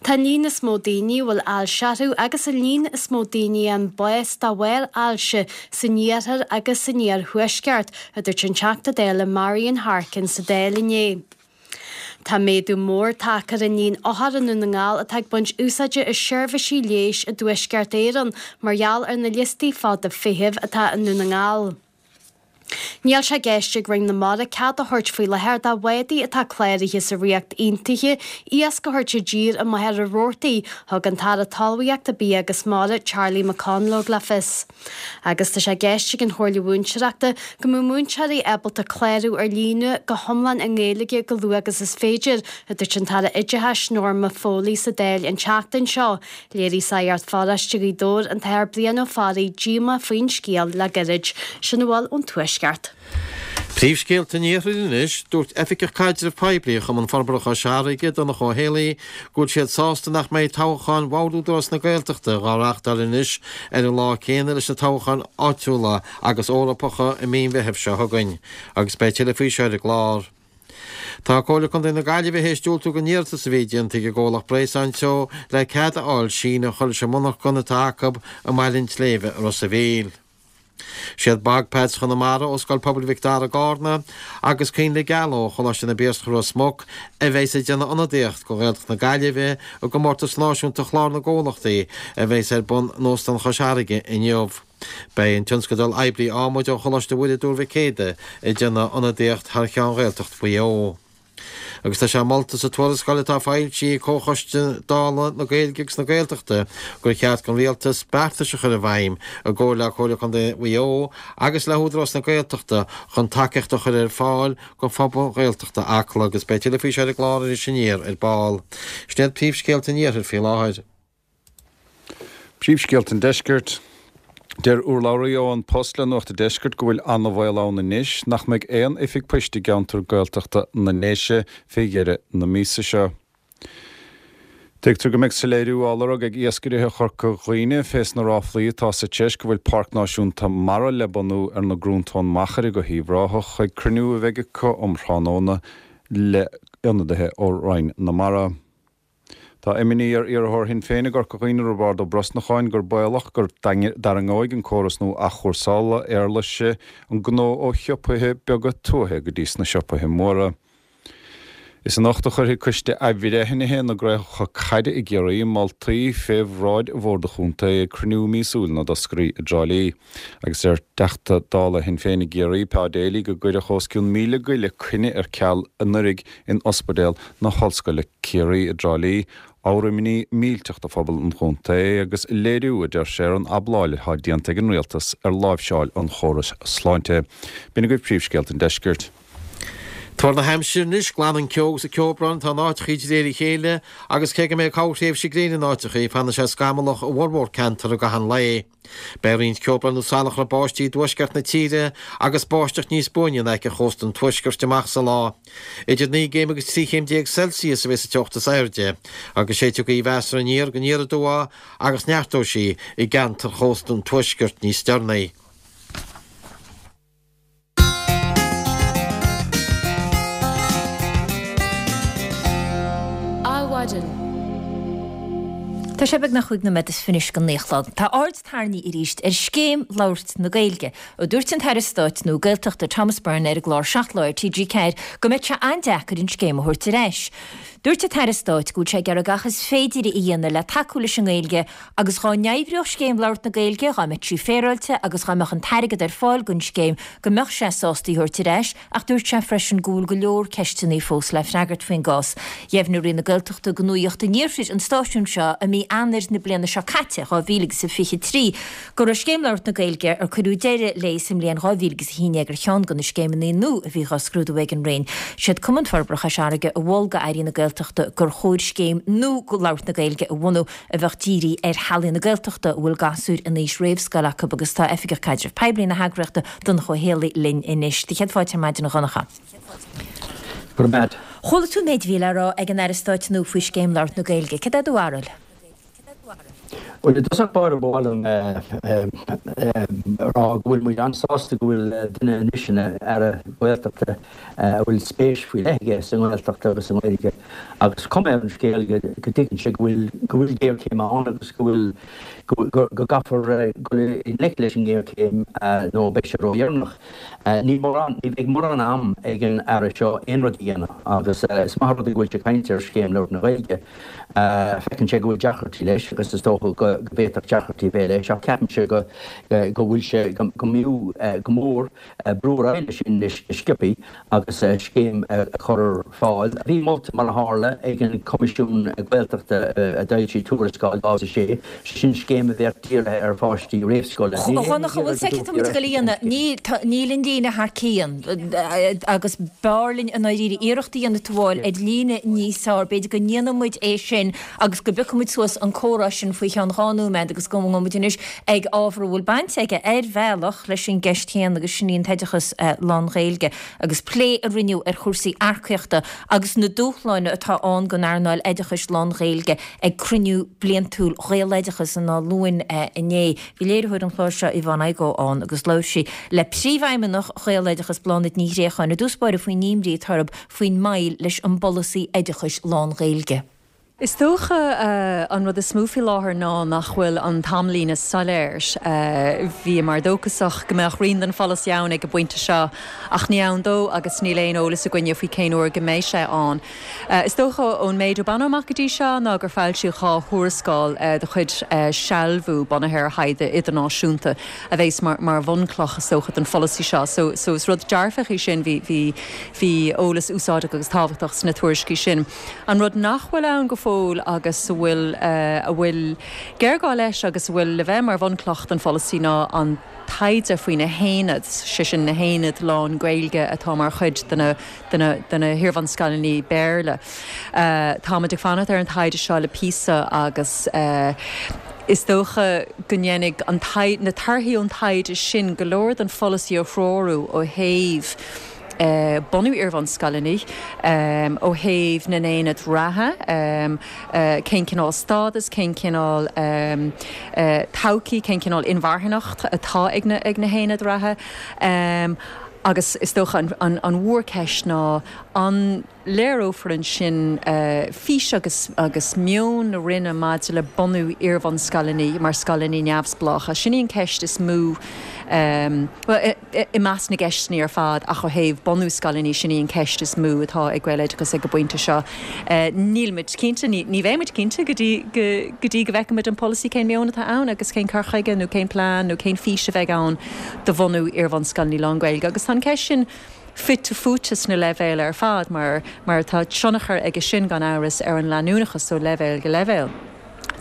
Tá an líon is mó daoine a bhfuil ailse orthu agus an líon is mó daoine a fhaigheann bás de bharr ailse san iarthar agus san iarthuaisceart, a dúirt an Teachta Dála Marian Harkin sa Dáil inné. Tá méadú mór tagtha ar an líon othar i nDún na nGall atá ag baint úsáide as seirbhísí leighis i dTuaisceart Éireann mar gheall ar na liostaí fada feithimh atá i nDún na nGall. Níl sé i gceist ag Roinn na Mara cead a thabhairt faoi láthair do bhádaí atá cláraithe sa Ríocht Aontaithe iasc a thabhairt i dtír i Machaire Rabhartaigh, thug an tAire Talmhaíochta, Bia agus Mara, Charlie McConalogue le fios. Agus tá sé i gceist ag an Chomhairle Mhúinteoireachta go mbeadh múinteoirí ábalta clárú ar líne go hiomlán i nGaeilge go luath agus is féidir, a dúirt an tAire Oideachais Norma Foley sa Dáil an tseachtain seo. Léirigh Sagart Pharóiste Ghaoth Dobhair, an tAthair Brian Ó Fearraigh, díomá faoin scéal le gairid. Sin a bhfuil ón Tuaisceart. Príomhscéalta an Iarthair anois, Dúirt Oifigeach Caidrimh Poiblí Chumann Forbartha Chois Fharraige, Donncha Ó Héalaí, go bhfuil siad sásta nach mbeidh toghcháin Bhord Údarás na Gaeltachta dhá reáchtáil anois ar an lá céanna leis na toghcháin áitiúla agus Eorpacha i mí an Mheithimh seo chugainn agus beidh tuilleadh faoi seo ar an gclár. Tá Comhairle Contae na Gaillimhe théis diúltú don iarratas a bhí déanta ag an gcomhlacht Bréasáin Teo le cead a fháil síneadh a chur leis an monarchan atá acu i mBaile an tSléibhe i Ros a' Mhíl. Siad Bog Pads Chonamara ó Scoil Pobail Mhic Dara i gCarna agus Coinnle Geala ó Choláiste na bPiarsach Ros Muc a bheas ag déanamh ionadaíocht do Ghaeltacht na Gaillimhe i gcomórtas náisiúnta Chlár na gComhlachtaí a bheas ar bun in Óstán Chois Fharraige inniu. Beidh an tionscadal Oibrí Adhmaid ó Choláiste Mhuire Dúr Mhic Éadaigh ag déanamh ionadaíocht thar cheann Ghaeltacht Mhaigh Eo. Agus tá sé molta sa tuarascáil atá foilsithe ag Comhchoiste Dála na Gaeilge agus na Gaeltachta gur cheart don Rialtas beartais a chur i bhfeidhm i gcomhar le Comhairle Contae Mhaigh Eo agus le hÚdarás na Gaeltachta chun tacaíocht a chur ar fáil do phobal Ghaeltachta Acla agus beidh tuilleadh faoi seo ar an gclár Iris Aniar ar ball. Sin iad príomhscéalta an Iarthair faoi láthair. Príomhscéalta an Deiscirt. Deir urlabhraí ó An Post le Nuacht an Deiscirt go bhfuil an-bhaol ann anois nach mbeidh aon oifig poist i gceantar Gaeltachta na nDéise fé dheireadh na míosa seo. Tuigtear go mbeidh soiléiriú á lorg ag iascairithe Chorca Dhuibhne fés na ráflaí atá sa treis go bhfuil Páirc Náisiúnta Mara le bunú ar na gCrúntóin Machaire go hUíbh Ráthach ag cruinniú a bheidh acu um thráthnóna le ionadaithe ó Roinn na Mara. Tá imní ar iarrthóir Shinn Féin i gCorca Dhuibhne, Roibeárd Ó Brosnacháin, gur baolach go dtarraingeoidh an córas nua athchúrsála éarlaise an gnó ó shiopaithe beaga tuaithe go dtí sna siopaithe móra. Is anocht a chuirfidh Coiste Athbhreithnithe na gCraobhacha Caide i gCiarraí moltaí fé bhráid Bhord an Chontae ag cruinniú míosúil na dtoscairí i dTrá Lí. Agus deir Teachta Dála Shinn Féin i gCiarraí, Pa Daly, go gcuireadh os cionn míle goile coinne ar ceal anuraidh in Ospidéal na hOllscoile Ciarraí i dTrá Lí, ábhar imní millteach do phobal an chontae agus léiriú, a deir sé, ar an abláil atá déanta ag an rialtas ar láimhseáil an chórais sláinte. B'in agaibh príomhscéalta an deiscirt. Tuar na haimsire anois, glanann ceo agus ceobhrán atá in áiteachaí de réir a chéile agus cé go mbeidh corrthréimhse gréine in áiteachaí, fanfaidh sé scamallach i bhformhór ceantar i gcaitheamh an lae. Beidh roinnt ceobhrán nó salachar báistí i dtuaisceart na tíre agus báisteach níos buaine in aice chósta an tuaiscirt amach sa lá. Idir naoi gcéim agus trí chéim déag Celsius a bheidh sa teocht is airde agus séidfidh gaoth mheasartha aniar go aniar aduaidh agus neartóidh sí i gceantar chósta an tuaiscirt níos deireanaí. Adhmhaidin. Tá sé beagnach cúig nóiméad is fiche anois go naoi a chlog. Tá aird tarraingthe arís ar scéim labhairt na Gaeilge. Ó dúirt an tAire Stáit nua Gaeltachta Thomas Byrne ar an gclár Seacht Lá ar T G ceathair go mbeadh sé an-deacair an scéim a thabhairt ar ais. Dúirt an tAire Stáit go bhfuil sé ag iarraidh gach is féidir a dhéanamh le tacú leis an nGaeilge agus dhá n-oibreodh scéim labhairt na Gaeilge, dhá mbeadh sí féaráilte agus dhá mbeadh an t-airgead ar fáil don scéim, go mbeadh sé sásta í a thabhairt ar ais ach dúirt sé freisin go bhfuil go leor ceisteanna fós le freagairt faoin gcás. Dheimhnigh Roinn na Gaeltachta do Nuacht an Iarthair an stáisiún seo i mí Eanáir na bliana seo caite, dhá mhíle agus a fiche trí, go raibh Scéim Labhairt na Gaeilge, ar cuireadh deireadh léi sa mbliain dhá mhíle agus a haon déag, ar cheann de na scéimeanna nua a bhí dhá scrúdú ag an Roinn. Siad Cumann Forbartha Chois Fharraige a mhol do Airí na Gaeltachta gur chóir scéim nua labhairt na Gaeilge a bhunú a bheadh dírithe ar theaghlaigh na Gaeltachta a bhfuil gasúir in aois réamhscoile acu agus tá Oifigeach Caidrimh Poiblí na heagraíochta, Donncha Ó Héalaí, linn anois. Céad fáilte ar maidin a Dhonncha. Go raibh maith. Chuala tú an méid a bhí le rá ag an Aire Stáit nua faoi Scéim Labhairt na Gaeilge. Cad é do bharúil? Bhuel, i dtosach báire ba mhaith liom a rá go bhfuil muid an-sásta go bhfuil duine anois ina Aire Gaeltachta a bhfuil spéis faoi leith aige sa nGaeltacht agus sa nGaeilge agus cuma ar an scéal go dtuigeann sé go bhfuil go bhfuil géarchéim ann agus go bhfuil go gcaithfear dul i ngleic leis an ngéarchéim nó beidh sé ródheireanach. Níl mórán, ní bheidh mórán am ag an Aire seo aon rud a dhéanamh agus is maith an rud é go bhfuil sé ag caint ar Scéim Labhairt na Gaeilge. Feiceann sé go bhfuil deacrachtaí leis agus is dócha go bhféadfadh deacrachtaí a bheith leis ach ceapaimse go go bhfuil sé, go mb'fhiú go mór brú ar aghaidh leis sin anois go sciobtha agus scéim a chur ar fáil, a bhí molta mar a tharla ag an Choimisiún Gaeltachta a d'fhoilsigh tuarascáil dhá mhíle a sé, sé sin scéim a bheadh dírithe ar pháistí réamhscoile. A Dhonncha, bhfuil a fhios agat cad tá muid ag dul a dhéanamh? Níl, tá, níl an líne thar cionn agus b'fhearr linn i ndáiríre iarracht a dhéanamh teagmháil ar líne níos fearr. B'fhéidir go ndéanfaidh muid é sin agus go bpiocfaidh muid suas an comhrá sin faoi cheann dhá nóiméad agus go ngabhfaidh muid anois ag ábhar a bhfuil baint aige ar bhealach leis an gceist chéanna agus sin í an t-oideachas lán-Ghaeilge agus plé a rinneadh ar chúrsaí earcaíochta agus na dúshláin atá ann don earnáil oideachais lán-Ghaeilge ag cruinniú bliantúil Ghaeloideachas in Áth Luain inné. Bhí léiritheoir an chláir seo Yvonne Igoe ann agus labhair sí le Príomhfheidhmeannach Ghaeloideachas Bláthnaid Ní Ghréacháin i dtús báire faoin imní atá orthu faoin moill leis an bpolasaí oideachais lán-Ghaeilge. Is dócha an rud is mó faoi láthair ná nach bhfuil an t-amlíne soiléir. Bhíomar dóchasach go mbeadh rian den pholasaí ann ag an bpointe seo ach ní ann dó agus níl aon eolas againne faoi cén uair go mbeidh sé ann. Is dócha ón méid a baineadh amach go dtí seo ná gur foilsíodh dhá thuarascáil de chuid Sealbhú bunaithe ar thaighde idirnáisiúnta a bheas mar bhunchloch is dócha don pholasaí seo. So so is rud dearfach é sin, bhí bhí bhí eolas úsáideach agus tábhachtach sna tuairiscí sin. An rud nach bhfuil ann go fóill agus a bhfuil a bhfuil géarghá leis agus a bhfuil le bheith mar bhunchloch don pholasaí ná an taighde faoi na haonaid, sé sin na haonaid lán-Ghaeilge atá mar chuid de na de na de na hiarbhunscoileanna Béarla. Táimid ag fanacht ar an taighde seo le píosa agus is dócha go ndéanfaidh an na torthaí ón taighde sin go leor den pholasaí a threorú ó thaobh bunú iarbhunscoileanna, ó thaobh na n-aonad reatha, cén cineál stádas, cén cineál todhchaí, cén cineál inmharthanacht atá ag na haonaid reatha. Agus is dócha an mhórcheist ná an léireofar ansin fís agus agus meon na Roinne maidir le bunú iarbhunscoileanna mar scoileanna neamhspleácha. Sin í an cheist is mó, bhuel, i measc na gceisteanna ar fad ach ó thaobh bunú scoileanna, sin í an cheist is mó atá ag Gaeloideachas ag an bpointe seo. Níl muid cinnte, ní bheidh muid cinnte go dtí go dtí go bhfeicfidh muid an polasaí, cén meon atá ann agus cén cur chuige nó cén plean nó cén fís a bheidh ann do bhunú iarbhunscoileanna lán-Ghaeilge. Agus tá an cheist sin fite fuaite sna leibhéil ar fad mar mar tá tionchar aige sin gan amhras ar an leanúnachas ó leibhéal go leibhéal.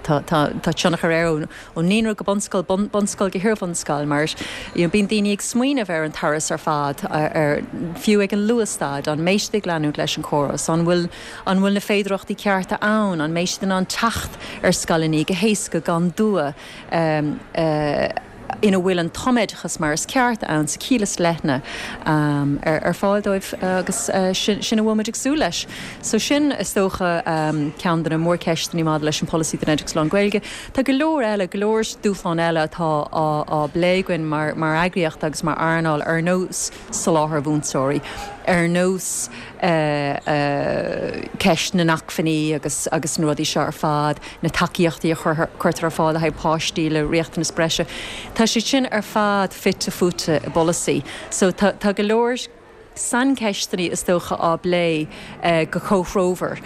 Tá tá tá tionchar air ón ón naíonra go bunscoil, bun bunscoil go hiarbhunscoil mar you know bíonn daoine ag smaoineamh ar an turas ar fad ar fiú ag an luathstaid, an mbeidh siad ag leanúint leis an chóras, an bhfuil an bhfuil na féidearthachtaí cearta ann, an mbeidh siad in ann teacht ar scoileanna go héasca gan dua. ina bhfuil an tumoideachas mar is ceart ann sa chiall is leithne ar fáil dóibh agus sin a bhfuil muid ag súil leis. So sin is dócha ceann de na mórcheisteanna maidir leis an polasaí don oideachas lán-Ghaeilge. Tá go leor eile, go leor dúshlán eile atá á bplé againn mar mar eagraíocht agus mar earnáil ar nós soláthar mhúinteoirí, ar nós ceist na n-acmhainní agus agus na rudaí seo ar fad, na tacaíochtaí a chuirtear ar fáil le haghaidh páistí le riachtanas breise. Tá siad sin ar fad fite fuaite i bpolasaí. So tá tá go leor saincheisteanna is dócha á bplé go comhthreomhar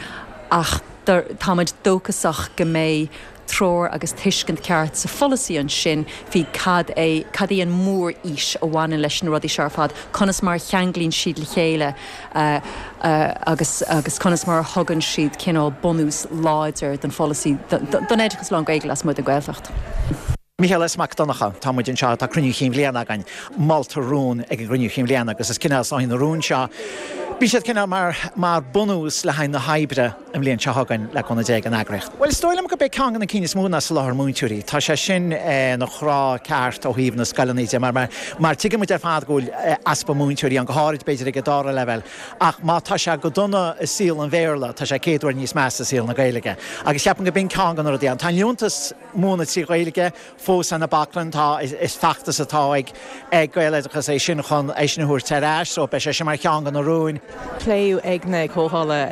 ach táimid dóchasach go mbeidh treoir agus tuiscint ceart sa pholasaí ansin faoi cad é cad í an mhórfhís a bhaineann leis na rudaí seo ar fad, conas mar a cheanglaíonn siad le chéile agus agus conas mar a thugann siad cineál bunús láidir don pholasaí don oideachas lán-Ghaeilge lasmuigh den Ghaeltacht. Mícheál S. Mac Donncha, Tá muid anseo, tá cruinniú chinn bhliana againn. Moltar rún ag an gcruinniú chinn bhliana agus is cineál is na rúin seo, bíonn siad cineál mar mar bunús le haghaidh na hoibre an bhliain seo chugainn le cúnamh Dé ag an eagraíocht. Bhuel is dóigh liom gurb é ceann de na cinn is mó ná soláthar múinteoirí. Tá sé sin ina chrá ceart ó thaobh na scoileanna de mar mar mar tuigeann muid ar fad go bhfuil easpa múinteoirí ann go háirid b'fhéidir ag an dara leibhéal ach má tá sé go dona i saol an Bhéarla tá sé céad uair níos measa i saol na Gaeilge. Agus ceapaim go b'in ceann de na rudaí ann. Tá an liúntas múineadh trí Ghaeilge fós ar na baclainn. Tá, is feachtas atá ag ag Gaeloideachas é sin chun é sin a thabhairt ar ais so beidh sé sin mar cheann de na rúin. Pléadh ag na comhdhála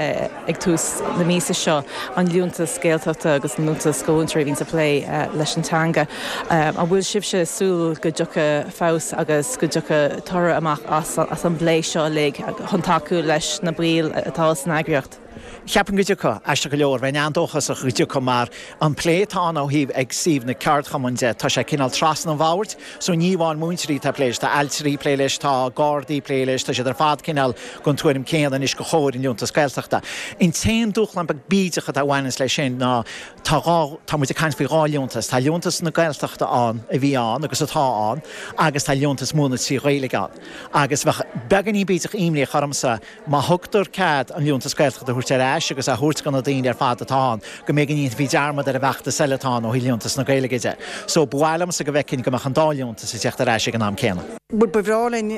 ag tús na míosa seo an liúntas Gaeltachta agus an liúntas do mhúinteoirí a bhíonns ag plé leis an teanga. An bhfuil sibhse ag súil go dtiocfaidh feabhas agus go dtiocfaidh toradh amach as an bplé seo uilig chun tacú leis na baill atá san eagraíocht? Cheapfainn go dtiocfadh, aisteach go leor, bheinn an-dóchasach go dtiocfadh mar an plé atá ann ó thaobh ag suíomh na ceardchumann de, tá sé cineál trasna an bhoird, so ní amháin múinteoirí atá ag plé leis, tá ailtirí ag plé leis, tá gardaí ag plé leis, tá siad ar fad cineál den tuairim céanna anois gur chóir an liúntas Gaeltachta. An t-aon dúshlán beag bídeach atá a bhaineanns leis sin ná tá dhá, tá muid ag caint faoi dhá liúntas, tá liúntas na Gaeltachta ann a bhí ann agus atá ann agus tá liúntas múineadh trí Ghaeilge ann agus bheadh beagáinín bídeach imníoch ormsa Má thugtar cead an liúntas Gaeltachta a thabhairt ar ais agus a thabhairt do na daoine ar fad atá ann, go mbeidh go ndéanfaí dearmad ar an bhfeachtas eile atá ann ó thaobh liúntas na Gaeilge de. So, ba mhaith liomsa go bhfeicfinn go mbeadh an dá liúntas ag teacht ar ais ag an am céanna. Bhuel, ba bhreá linn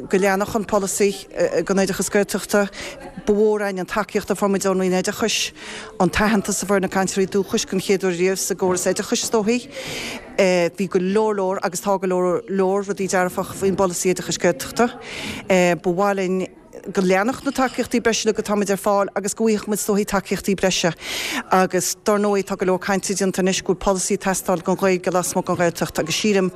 go leanfadh an polasaí don oideachas Gaeltachta. Ba mhór againn an tacaíocht a fuair muid ón Roinn Oideachais, an t-aitheantas a fuair na cainteoirí dúchais den chéad uair riamh sa gcóras oideachais, is dóichí. Bhí go leor leor, agus tá go leor leor, rudaí dearfach faoin bpolasaí oideachais Gaeltachta. Ba mhaith linn go leanfadh na tacaíochtaí breise uilig atá muid ar fáil agus go bhfaigheadh muid is dóichí tacaíochtaí breise. Agus dar ndóigh tá go leor cainte déanta anois go bhfuil polasaí ag teastáil don Ghaeilge lasmuigh den Ghaeltacht agus sílim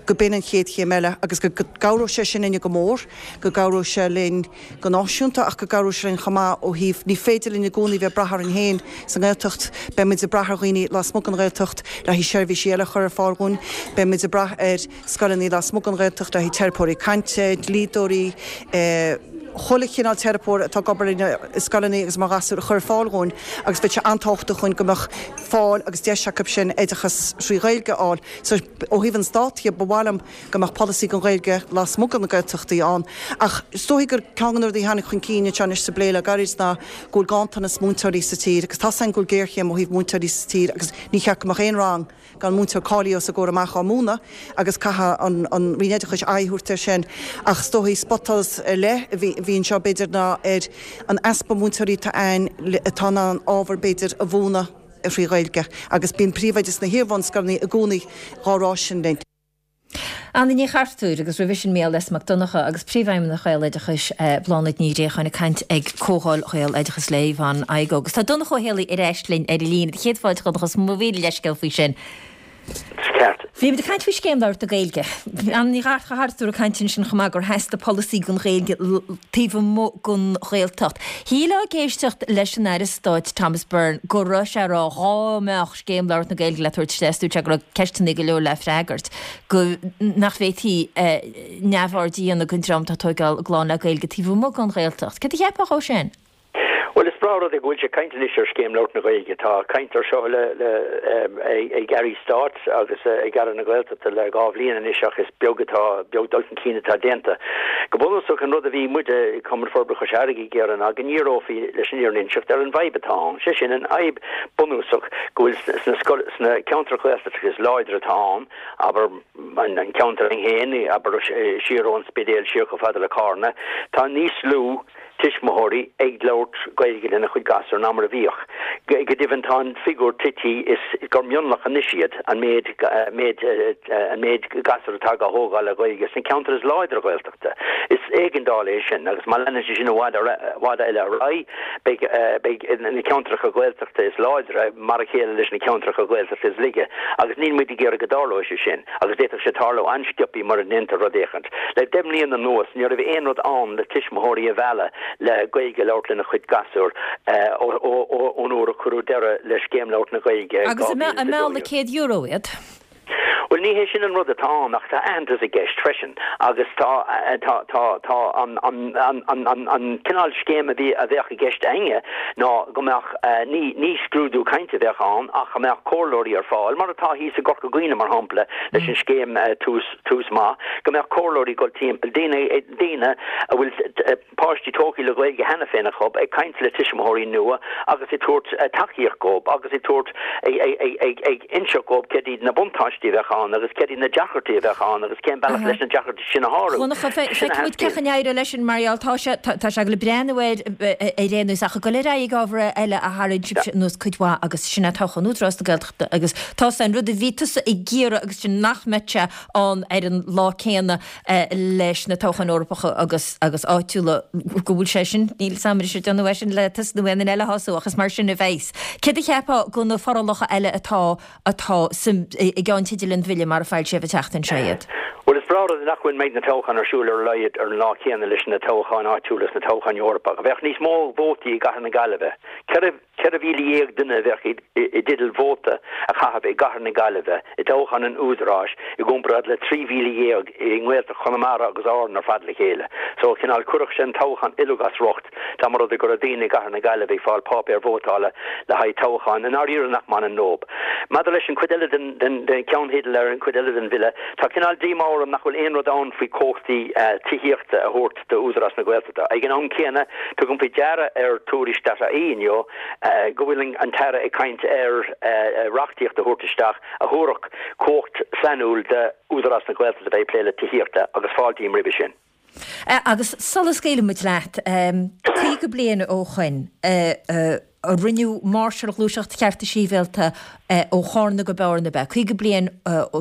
go b'in an chéad chéim eile agus go gcabhróidh sé sin linne go mór, go gcabhróidh sé linn go náisiúnta ach go gcabhróidh sé linn chomh maith ó thaobh, ní féidir linn i gcónaí bheith ag brath orainn féin sa nGaeltacht, beidh muid ag brath ar dhaoine lasmuigh den Ghaeltacht le haghaidh seirbhísí eile a chur ar fáil dhúinn, beidh muid ag brath ar scoileanna lasmuigh den Ghaeltacht le haghaidh teiripeoirí cainte, dlíodóirí, chuile chineál teiripeoir atá ag obair i scoileanna agus mar ghasúir a chur ar fáil dhúinn agus bheadh sé an-tábhachtach dhúinn go mbeadh fáil agus deis acu sin oideachas thrí Ghaeilge a fháil. So ó thaobh an Stát dhe ba mhaith liom go mbeadh polasaí don Ghaeilge lasmuigh de na Gaeltachtaí ann ach is dóichí gur ceann de na rudaí a tháinig chun cinn anseo anois sa bplé le gairid ná go bhfuil ganntanas múinteoirí sa tír agus tá's againn go bhfuil géarchéim ó thaobh múinteoirí sa tír agus ní cheart go mbeadh aon rang gan múinteoir cáilithe os a gcomhair amach á múineadh agus caithfidh an an Roinn Oideachais aghaidh a thabhairt air sin. Ach is dóichí spotsholas ar leith a bhí a bhí anseo b'fhéidir ná ar an easpa múinteoirí atá ann atá in ann ábhar b'fhéidir a mhúineadh thrí Ghaeilge agus bíonn príomhoidí sna hiar-bhunscoileanna i gcónaí dhá rá sin linn. Anna Ní Chartúir agus roimhe sin Mícheál S. Mac Donncha agus Príomhfheidhmeannach Ghaeloideachais, Bláthnaid Ní Ghréacháin ag caint ag Comhdháil Ghaeloideachais le Yvonne Igoe. Agus tá Donncha Ó Héalaí ar ais linn ar an líne. Céad fáilte Dhonncha, is mo mhíle leithscéal faoi sin. Ceart. Bhí muid ag caint faoi Scéim Labhairt na Gaeilge. Anna Ní Chartúir ag caint ansin chomh maith gur theastaigh polasaí don Ghaeilge taobh amuigh den Ghaeltacht. Shílfeá ag éisteacht leis an Aire Stáit Thomas Byrne go raibh sé ag rá dhá mbeadh Scéim Labhairt na Gaeilge le tabhairt isteach is dúirt sé go raibh ceisteanna go leor le freagairt, go nach bhféadfaí neamhaird a dhéanamh den dream atá ag tóigeáil a gclann le Gaeilge taobh amuigh den Ghaeltacht. Céard a cheapfá dhó sin? Bhuel, is breá breá rud é go bhfuil sé caint anois ar Scéim Labhairt na Gaeilge. Tá caint ar seo le le ag Airí Stáit agus ag Aire na Gaeltachta le dhá bhliain anois ach is beag atá beag dul chun cinn atá déanta. Go bunúsach an rud a bhí muide i Cumann Forbartha Chois Fharraige ag iarraidh ná go ndíreofaí leis an fhírinne a inseacht ar an bhfadhb atá ann, sé sin an fhadhb bunúsach go bhfuil sna scoil sna ceantair Ghaeltachta is láidre atá ann, abair an ceantar againn féin, abair siar ón Spidéal siar chomh fada le Cárna, tá níos lú tuismitheoirí ag labhairt Gaeilge lena chuid gasúr ná mar a bhíodh. Go deimhin tá an figiúr tite is gur mionlach anois iad an méid méid an méid gasúr atá á thógáil le Gaeilge sna ceantair is láidre Ghaeltachta. Is éigeandáil é sin agus má leanann sé sin i bhfad i bhfad eile ar aghaidh beidh beidh na ceantracha Gaeltachta is láidre mar a chéile leis na ceantracha Gaeltachta is laige agus níl muid ag iarraidh go dtarlóidh sé sin agus d'fhéadfadh sé tarlú an-sciobtha mura ndéantar rud éicint. Le deich mbliana anuas ní raibh aon rud ann le tuismitheoirí a mhealladh le Gaeilge a labhairt lena chuid gasúr ón uair a cuireadh deireadh le Scéim Labhairt na Gaeilge Agus an mealladh le céad euro iad? Bhuel, ní hé sin an rud atá ann ach tá aitheantas i gceist freisin agus tá tá tá tá an an an an an an cineál scéim a bhí a bheadh i gceist againne ná go mbeadh ní ní scrúdú cainte a bheadh ann ach go mbeadh comhairleoirí ar fáil, mar atá thíos i gCorca Dhuibhne mar shampla leis an scéim Tús Tús Maith, go mbeadh comhairleoirí ag dul timpeall, daoine daoine a bhfuil páistí tógtha le Gaeilge cheana féin acu, ag caint le tuismitheoirí nua agus ag tabhairt tacaíocht dhóibh agus ag tabhairt ag inseacht dhóibh céard iad na buntáistí a bheadh ann agus céard iad na deacrachtaí a bheadh ann agus cén bealach leis na deacrachtaí sin a shárú. Donncha, feicfidh muid cén chaoi a n-éireoidh leis sin mar gheall tá sé tá sé ag dul ag breathnú air ar aon nós ach ag dul ar aghaidh ag ábhar eile a tharraing sibhse anuas cuid mhaith agus sin é toghchán Údarás na Gaeltachta agus tá an rud a bhí tusa ag iarraidh agus sin nach mbeadh sé ann ar an lá céanna leis na toghcháin Eorpacha agus agus áitiúla go bhfuil sé sin, níl 's a'm an raibh siad ag déanamh é sin le tusa nó aon duine eile a shású ach is mar sin a bheas. Céard a cheapfá de na forálacha eile atá atá sa i gceannteidil an bhille mar a foilsíodh an tseachtain seo iad? Bhuel is breá rud nach bhfuil mbeidh na toghcháin ar siúl ar a laghad ar an lá céanna leis na toghcháin áitiúla is na toghcháin Eorpacha. Bheadh níos mó vótaí i gCathair na Gaillimhe, ceithre Ceithre mhíle dhéag duine a bheadh i dteideal vóta a chaitheamh i gcathair na Gaillimhe i dtoghchán an Údaráis i gcomparáid le trí mhíle dhéag i nGaeltacht Chonamara agus Árann ar fad le chéile. So, cineál, chuirfeadh sé an toghchán uilig as riocht dá mba rud é go raibh daoine i gcathair na Gaillimhe ag fáil páipéar vótála le haghaidh toghcháin i ndáiríre nach mbaineann leob. Maidir leis an chuid eile den den cheannteideal ar an chuid eile den bhille, tá cineál díomá orm nach bhfuil aon rud ann faoi chumhachtaí tithíochta a thabhairt d'Údarás na Gaeltachta. Ag an am céanna, tugaim faoi deara ar Tuairisc dot ie inniu go bhfuil an tAire ag caint ar reachtaíocht a thabhairt isteach a thabharfadh cumhacht sainiúil d'Údarás na Gaeltachta a bheith ag plé le tithíochta agus fáiltím roimhe sin. Agus sula scaoilfidh muid leat, caoga bliain ó shoin, a rinneadh máirseáil Ghluaiseacht Chearta Sibhialta ó Chárna go Bearna, ab ea? Caoga bliain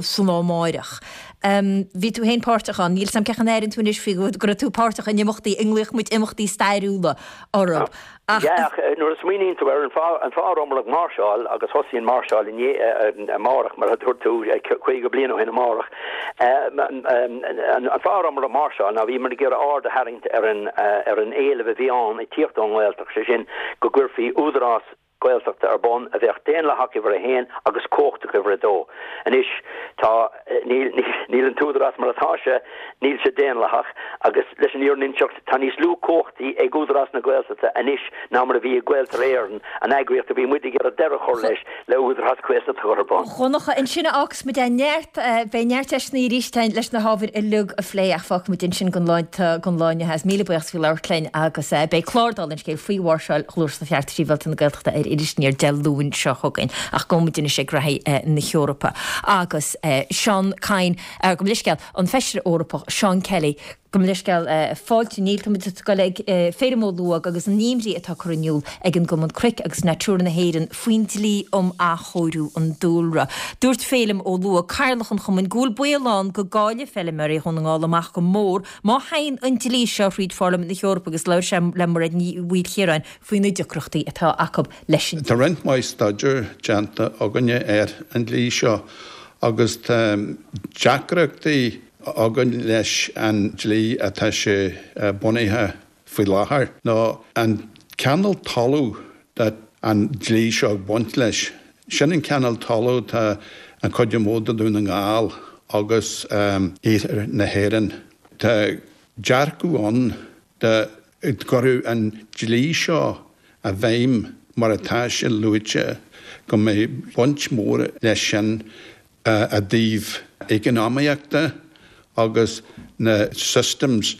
san lá amáireach. Bhí tú féin páirteach ann. Níl 's a'm cén chaoi a n-airíonn tú anois faoi go raibh tú páirteach in imeachtaí a nglaoch muid imeachtaí stairiúla orthu. Ach. Yeah, ach nuair a smaoiníonn tú ar an fáth an fáth a rabhamar ag máirseáil agus thosaigh an máirseáil inné amárach mar a dúirt tú caoga bliain ó shin amárach an fáth a rabhamar ag máirseáil ná bhíomar ag iarraidh aird a tharraingt ar an ar an éileamh a bhí ann ag tíocht ón nGaeltacht, sé sin go gcuirfí údarás Gaeltachta ar bun a bheadh daonlathach uimhir a haon agus cumhachtach uimhir a dó. Anois tá, níl, níl an t-údarás mar atá sé, níl sé daonlathach agus leis an fhírinne a inseacht tá níos lú cumhachtaí ag Údarás na Gaeltachta anois ná mar a bhí ag Gaeltarra Éireann, an eagraíocht a bhí muid ag iarraidh deireadh a chur leis le Údarás Gaeltachta a chur ar bun. A Dhonncha, ansin a fhágfas muid é. Neart, beidh neart deiseanna arís againn leis na hábhair uilig a phlé ach fágfaidh muid ansin don lá, don lá inniu. Míle buíochas faoi labhairt linn agus beidh clár dála an scéil faoi mháirseáil Ghluaiseacht Chearta Sibhialta na Gaeltachta ar Iris Aniar Dé Luain seo chugainn. Ach gabhfaidh muid anois ag reathaí na hEorpa agus Seán Kyne, gabh mo leithscéal, an Feisire Eorpach Seán Kelly, gabh mo leithscéal, fáilte, níl, tá muid ag dul ag Féilim Ó Lubhaigh agus an imní atá curtha in iúl ag an gCumann Cnoic agus Natura na hÉireann faoin dlí um athchóiriú an dúlra. Dúirt Féilim Ó Lubhaigh, Cathaoirleach an Chumainn, go bhfuil baol ann go gcaillfidh feilméaraí Dhún na nGall amach go mór má théann an dlí seo thríd Pharlaimint na hEorpa agus labhair sé le Mairéad Ní Mhaoilchiaráin faoi na deacrachtaí atá acu leis an Tá roinnt mhaith staidéir déanta againne ar an dlí seo agus tá deacrachtaí againn leis an dlí atá sé bunaithe faoi láthair, nó an cineál talamh atá an dlí seo ag baint leis. Sin an cineál talamh atá an chuid is mó de Dhún na nGall agus iarthar na hÉireann. Tá dearcadh ann dá gcuirfeadh an dlí seo i bhfeidhm mar atá sé luaite, go mbeidh baint mhór leis sin i dtaobh eacnamaíochta agus na systems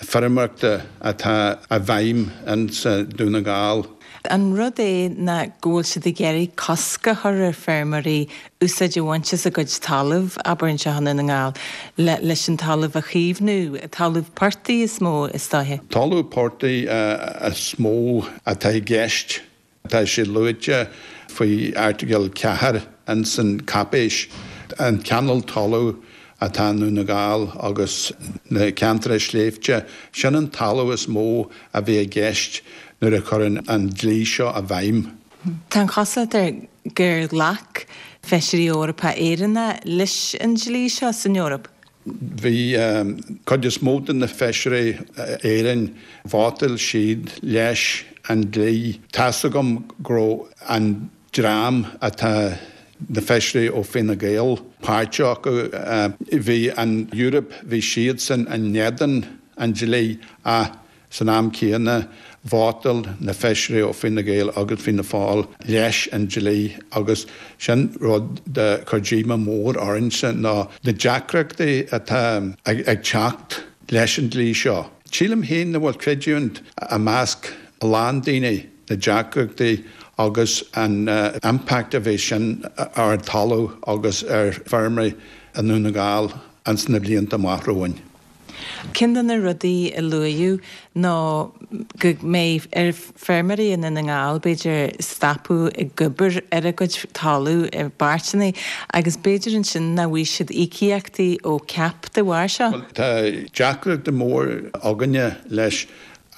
feirmeoireachta atá i bhfeidhm insa Dún na nGall. An rud é ná go bhfuil siad ag iarraidh cosc a chur ar feirmeoirí úsáid a bhaint as a gcuid talaimh, abair anseo i nDún na nGall, le leis an talamh a chaomhnú, talamh portaigh is mó is dóiche? Talamh portaigh is mó atá i gceist. Tá sé luaite faoi Airteagal ceathair ins an cáipéis, an cineál talamh atá i nDún na nGall agus na ceantair sléibhte, sin an talamh is mó a bheidh i gceist nuair a chuireann an dlí seo i bhfeidhm. Tá an chosúlacht air gur ghlac feisirí Eorpacha Éireannacha leis an dlí seo san Eoraip. Bhí cuid is mó de na feisirí Éireann, vótáil siad leis an dlí. Tá's agam go raibh an dream atá na feisirí ó Fine Gael páirteach acu, bhí an Eoraip, bhí siadsan in éadan an dlí ach san am céanna vótáil na feisirí ó Fine Gael agus Fianna Fáil leis an dlí agus sin rud a chuir díomá mór orainne ná na deacrachtaí atá ag teacht leis an dlí seo. Sílim féin nach bhfuil creidiúint i measc a lán daoine na deacrachtaí agus an impact a bheidh sin ar an talamh agus ar feirmeoirí i nDún na nGall ins na blianta amach romhainn. Ceann de na rudaí a luadh ná go mbeidh ar feirmeoirí i nDún na nGall, b'fhéidir, stopadh ag obair ar a gcuid talamh i bpáirteanna agus b'fhéidir ansin nach bhfaighidh siad íocaíochtaí ó CAP de bharr seo. Bhuel, tá deacracht mór againne leis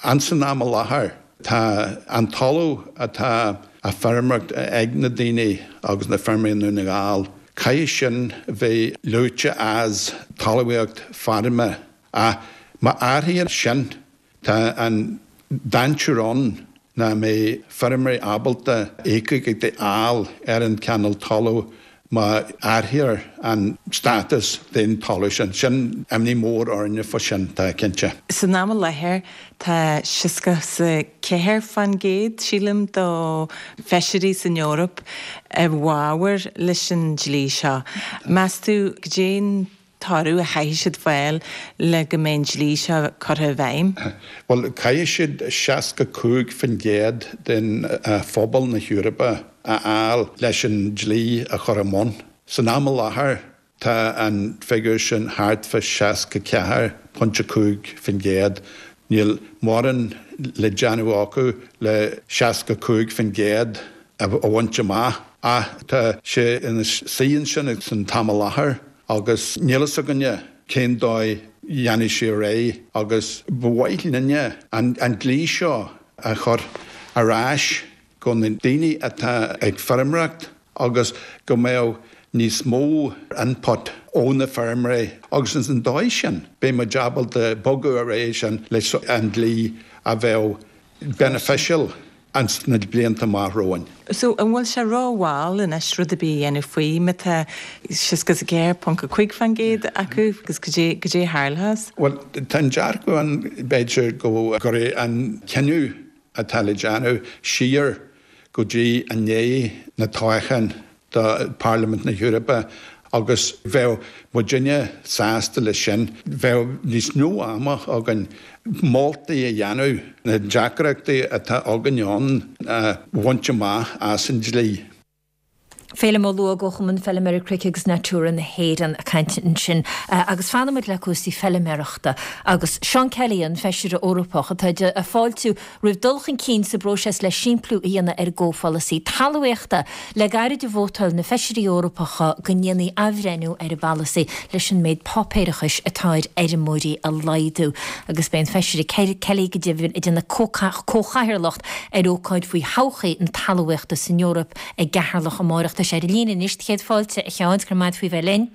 ansan am i láthair. Tá an talamh atá á feirmeoireacht ag na daoine agus na feirmeoirí i nDún na nGall, caithfidh sin bheith luaite as talmhaíocht feirme ach má athraíonn sin, tá an dainséar ann nach mbeidh feirmeoirí ábalta íocaíocht a fháil ar an cineál talamh má athraítear an státas den talamh sin. Sin imní mór orainne fá sin, tá cinnte. San am i láthair tá seasca 's a ceathair fán gcéad, sílim, do feisirí san Eoraip i bhfabhar leis an dlí seo. Meas tú goidé an toradh a chaithfidh siad fáil le go mbeidh an dlí seo curtha i bhfeidhm? Bhuel, caithfidh siad seasca cúig faoin gcéad den phobal na hEorpa a fháil leis an dlí a chur i mbun. San am i láthair, tá an figiúr sin thart fá seasca ceathair pointe cúig faoin gcéad. Níl mórán le déanamh acu le seasca cúig faoin gcéad a bhaint amach ach tá sé ina suí ansin san t-am i láthair agus níl fhios againne cén dóigh dhéanfaidh sé ar aghaidh agus ba mhaith linne an dlí seo a chur ar ais go na daoine atá ag feirmeoireacht agus go mbeadh níos mó input ó na feirmeoirí agus ins an dóigh sin beidh muid ábalta bogadh ar aghaidh sin leis an dlí a bheadh beneficial ins na blianta amach romhainn. So, an bhfuil sé ró-mhall anois rud ar bith a dhéanamh faoi má tá seasca is a ceathair ponc a cúig fán gcéad acu agus goidé goidé a tharlós? Bhuel, tá an dearcadh ann b'fhéidir go gcuirfidh an cinneadh atá le déanamh siar go dtí i ndiaidh na toghcháin do Pharlaimint na hEorpa agus bheadh muidinne sásta leis sin. Bheadh níos mó ama againn moltaí a dhéanamh, na deacrachtaí atá againn ann a bhaint amach as an dlí. Féilim Ó Lúóg ó Chumann Feilméaraí Cnoic agus Natura na hÉireann ag caint ansin. Agus fanfaimid le cúrsaí feilméarachta agus Seán Kelly, an Feisire Eorpach atá ag fáiltiú roimh dul chun cinn sa bpróiseas le simpliú a dhéanamh ar an gcomhpholasaí talmhaíochta. Le gairid a vótáil na Feisirí Eorpacha go ndéanfaí athbhreithniú ar an bpolasaí leis an méid páipéarachais atá ar fheirmeoirí a laghdú. Agus beidh an Feisire Kelly go deimhin ag déanamh comhchathaoirleacht ar ócáid faoi thodhchaí na talmhaíochta san Eoraip i gCeatharlach amárach. Tá sé ar an líne anois. Céad fáilte, a Sheáin, go raibh maith agat faoi bheith linn.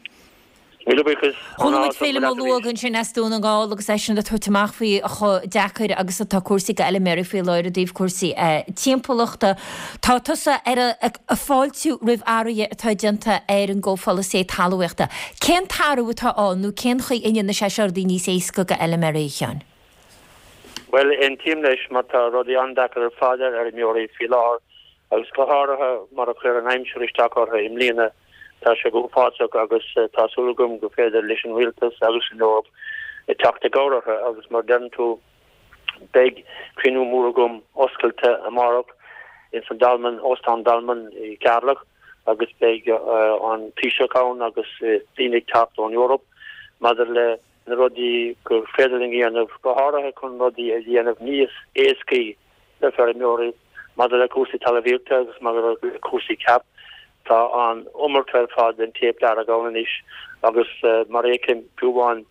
Míle buíochas. Chuala muid Féilim Ó Lúóg ansin as Dún na nGall agus eisean ag tabhairt amach faoi chomh deacair agus atá cúrsaí do fheilméaraí faoi láthair i dtaobh cúrsaí timpeallachta. Tá tusa ar ag fáiltiú roimh athruithe atá déanta ar an gcomhpholasaí talmhaíochta. Cén t-athrú atá ann nó cén chaoi a ndéanfaidh sé seo rudaí níos éasca do fheilméaraí, a Sheáin? Bhuel, aontaím leis mar tá rudaí an-deacair ar fad ar fheirmeoirí faoi láthair agus go háirithe mar a chuir an aimsir isteach orthu i mbliana. Tá sé go huafásach agus tá súil agam go féidir leis an Rialtas agus an Eoraip teacht i gcabhair orthu agus mar deireann tú beidh cruinniú mór agam oscailte amárach ins an Dolmen, Óstán Dolmen i gCeatharlach agus beidh an Taoiseach ann agus daoine ag teacht ón Eoraip maidir le na rudaí gur féidir linn a dhéanamh, go háirithe chun rudaí a dhéanamh níos éascaí le feirmeoirí maidir le cúrsaí talmhaíochta agus maidir le cúrsaí CAP. Tá an iomarca ar fad den téip dearg ann anois agus mar a fheicim, fiú amháin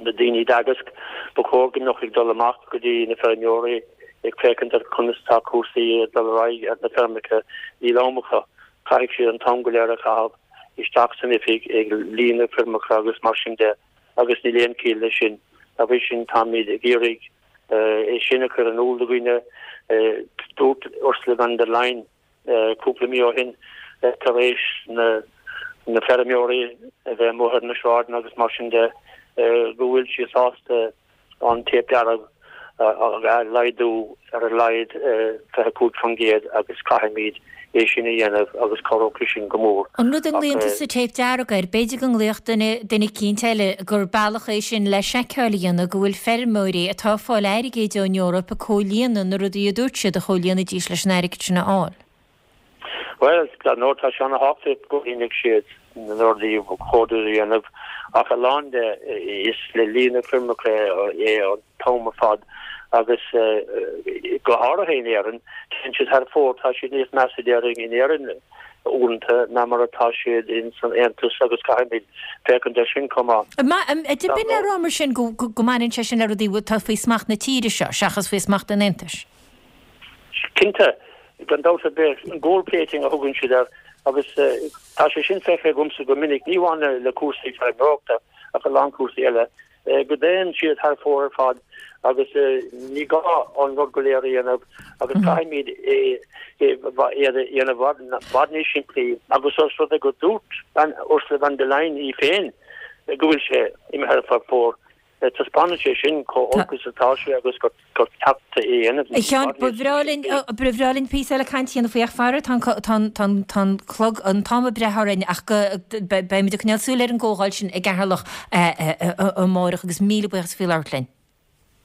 na daoine i dTeagasc, ba chóir go mbeadh ag dul amach go dtí na feirmeoirí ag féachaint ar conas tá cúrsaí ag dul ar aghaidh ar na feirmeacha. Níl am acu, caithfidh siad an t-am go léir a chaitheamh isteach san oifig ag líonadh foirmeacha agus mar sin de agus níl aon chiall leis sin. Dá bhrí sin táimid ag iarraidh é sin a chur in iúl do dhaoine. Dúirt Ursula von der Leyen cúpla mí ó shin tar éis na feirmeoirí a bheith amuigh ar na sráideanna agus mar sin de go bhfuil sí sásta an téip dearg a laghdú ar a laghad fiche cúig faoin gcéad agus caithfimid é sin a dhéanamh agus cabhróidh sin go mór. An rud a nglaonn tusa téip dearg air, b'fhéidir go nglaofadh duine, duine eicínt eile gur bealach é sin le seiceáil a dhéanamh go bhfuil feirmeoirí atá ag fáil airgid ón Eoraip ag comhlíonadh na rudaí a dúirt siad a chomhlíonfaidís leis an airgead sin a fháil. Bhuel, dar ndóigh, tá sé ana-thábhachtach go gcomhlíonfaidh siad na rudaí ba chóir dóibh a dhéanamh ach a lán de is le líonadh foirmeacha é an t-am ar fad agus go háirithe in Éirinn, téann siad thar fóir, tá siad níos measa déarfainn in Éirinn uaireanta ná mar atá siad in san Aontas agus caithfimid féachaint air sin chomh maith. B'in le rá mar sin go mbaineann sé sin le rudaí atá faoi smacht na tíre seo seachas faoi smacht an Aontais? Cinnte, gan dabht ar bith, an gold plating a thugann siad air agus tá sé sin feicthe agamsa go minic, ní amháin le cúrsaí feirmeoireachta ach a lán cúrsaí eile, go dtéann siad thar fóir ar fad agus ní gá an rud go léir a dhéanamh agus caithfimid é a dhéanamh i bhfad níos simplí agus os rud é go dúirt Ursula von der Leyen í féin go bhfuil sé imithe thar fóir. Taispeánann sé sin chomh holc is atá sé agus gur ceart é a dhéanamh. A Sheáin, ba bhreá linn, ba bhreá linn píosa eile cainte a dhéanamh faoi ach faraor tá an, tá an, tá an clog, an t-am ag breith orainn ach go, beimid ag coinneáil súil ar an gcomhdháil sin i gCeatharlach amárach agus míle buíochas faoi labhairt linn.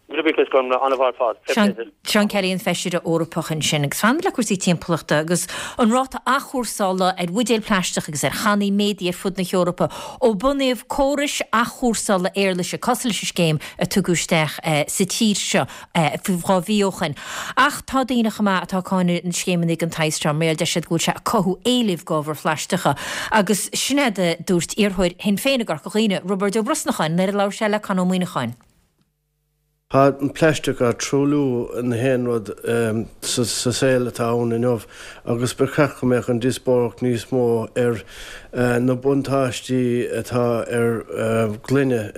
Míle buíochas Gormlaith, an-mhaith ar fad. Seán Kelly an Feisire Eorpach ansin. Agus fanfaimid le cúrsaí timpeallachta agus an ráta athchúrsála ar bhuidéil plaisteach agus ar channaí méadaithe ar fud na hEorpa ó bunaíodh córais athchúrsála éarlaise cosúil leis an scéim a tugadh isteach sa tír seo dhá mhí ó shin. Ach tá daoine chomh maith atá ag cáineadh na scéimeanna den tsaghas seo mar deir siad go bhfuil sé ag cothú éilimh d'ábhair phlaisteacha. Agus sin é a dúirt iarrthóir Shinn Féin i gCorca Dhuibhne, Roibeard Ó Brosnacháin, nuair a labhair sé le Con Ó Muíneacháin. Tá an plaisteach á truailliú na haon rud sa saol atá ann inniu agus ba cheart go mbeadh an díospóireacht níos mó ar na buntáistí atá ar ghloine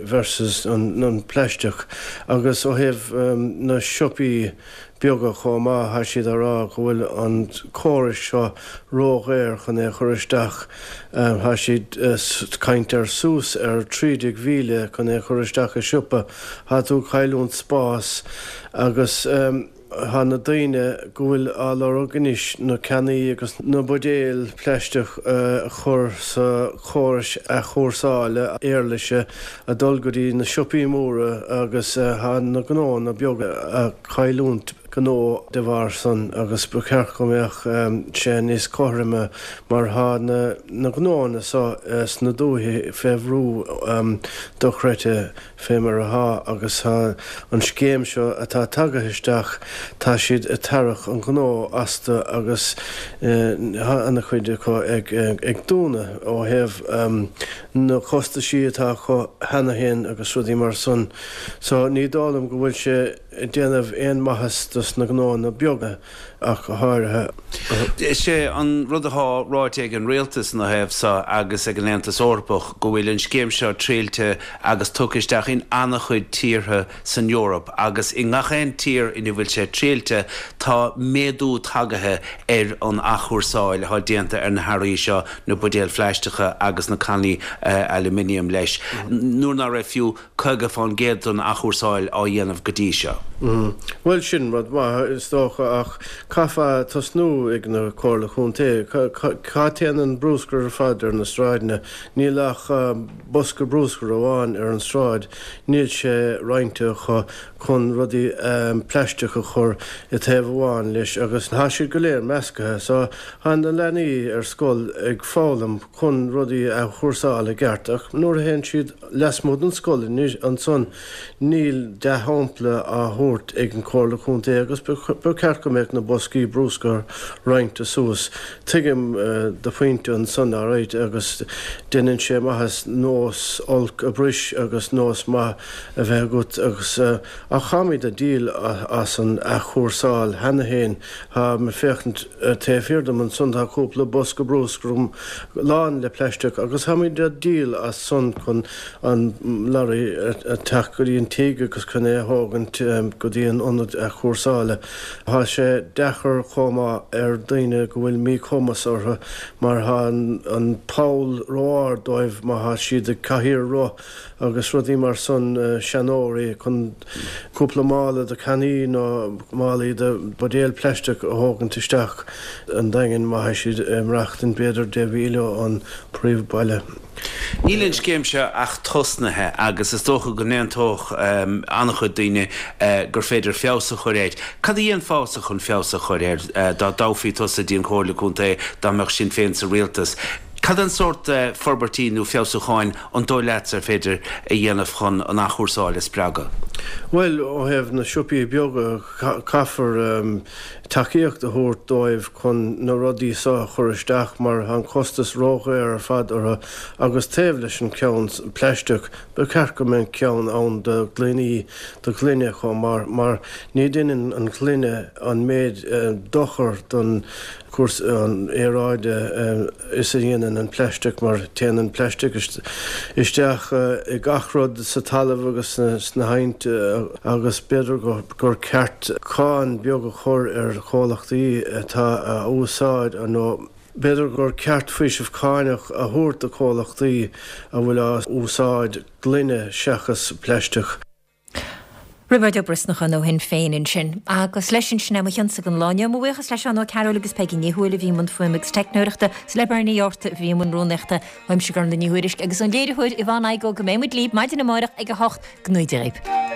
versus an plaisteach agus ó thaobh na siopaí beaga chomh maith, tá siad á rá go bhfuil an córas seo ródhaor chun é a chur isteach. Tá siad ag caint ar suas ar trí déag mhíle chun é a chur isteach i siopa. Tá tú ag cailliúint spás agus tá na daoine go bhfuil á lorg anois na cannaí agus na buidéil plaisteach a chur sa chórais athchúrsála éarlaise ag dul go dtí na siopaí móra agus tá na gnóanna beaga ag cailliúint gnó de bharr san agus ba cheart go mbeadh sé níos cothroime mar tá na gnóanna so sna dúiche fé bhrú dochreidte fé mar atá agus tá an scéim seo atá tagaithe isteach tá siad ag tarrac an gnó astu agus tá ana chuid acu ag dúnadh ó thaobh na costaisí atá acu cheana féin agus rudaí mar san so ní dóigh liom go bhfuil sé ag déanamh aon maitheas dos dos na gnóanna beaga ach go háirithe. Is é an rud atá ráite ag an rialtas ina thaobh seo agus ag an Aontas Eorpach go bhfuil an scéim seo triailte agus tugtha isteach in an-chuid tíortha san Eoraip agus i ngach aon tír ina bhfuil sé triailte tá méadú tagaithe ar an athchúrsáil atá déanta ar na hearraí seo, na buidéil phlaisteacha agus na cannaí aluminium leis, nuair ná raibh fiú caoga fán gcéad den athchúrsáil á dhéanamh go dtí seo. Bhuel, sin rud maith, is dócha, ach caithfear tosnú ag na Comhairle Contae. Cá dtéann an brúscar ar fad ar na sráideanna? Níl ach bosca brúscair amháin ar an sráid, níl sé roinnte acu chun rudaí plaisteach a chur i taobh amháin leis agus tá siad go léir meascaithe. So, tá na leanaí ar scoil ag foghlaim chun rudaí a athchúrsáil i gceart ach nuair a théann siad lasmuigh den scoil ansan níl dea-shampla á thabhairt ag an Chomhairle Contae agus ba cheart go mbeadh na boscaí brúscair roinnte suas. Tuigim do phointe ansan alright agus déanann sé maitheas nós olc a bhris agus nós maith a bheith agat agus ach táimid ag díol as an athchúrsáil cheana féin. Táim ag féachaint taobh thiar dom ansan tá cúpla bosca brúscair agam lán le plaisteach agus táimid ag díol as san chun an lorry a teacht go dtí an tigh agus chun é a thógaint go dtí an ionad athchúrsála. Tá sé deacair chomh maith ar daoine go bhfuil míchumas orthu mar tá an poll ró-ard dóibh má thá siad ag cathaoir roth agus rudaí mar san, seanóirí chun cúpla mála de cannaí nó málaí de buidéal plaisteach a thógaint isteach an Daingean má thá siad ag maireachtaint b'fhéidir deich mhíle ón príomhbhaile. Níl an scéim seo ach tosnaithe agus is dócha go n-aontódh an-chuid daoine gur féidir feabhas a chur air. Cad a dhéanfása chun feabhas a chur air dá dtoghfaí tusa dtí an Chomhairle Contae, dá mbeadh Sinn Féin sa rialtas? Cad é an sórt forbairtí nó feabhsúcháin an dóigh leatsa ar féidir a dhéanamh chun an athchúrsáil a spreagadh? Bhuel, ó thaobh na siopaí beaga, caithfear tacaíocht a thabhairt dóibh chun na rudaí seo a chur isteach mar tá an costas ródhaor ar fad orthu agus taobh leis an ceann plaisteach, ba cheart go mbeadh ceann ann do ghloiní, do ghloine chomh maith mar ní dhéanann an ghloine an méid dochar don cúrsaí aeráide is a dhéanann an plaisteach mar téann an plaisteach isteach i gach rud sa talamh agus sna haibhnte agus b'fhéidir gur ceart cáin beag a chur ar chomhlachtaí atá a úsáid nó b'fhéidir gur ceart faoiseamh cáinach a thabhairt do chomhlachtaí a bhfuil á úsáid gloine seachas plaisteach. Roibeárd Ó Brosnacháin ó Shinn Féin ansin. Agus leis sin, sin é mo chionsa don lá inniu. Mo bhuíochas le Seán Ó Cearúil agus Peigí Ní Thuathail a bhí i mbun fuaime agus teicneoireachta, is le Bernie Yorta a bhí i mbun rúnaíochta. Uaimse Gormlaith Ní Thuairisg agus ón léiritheoir Yvonne Igoe go mbeidh muid libh maidin amárach ag a hocht. Go ngnóthaí Dia dhaoibh.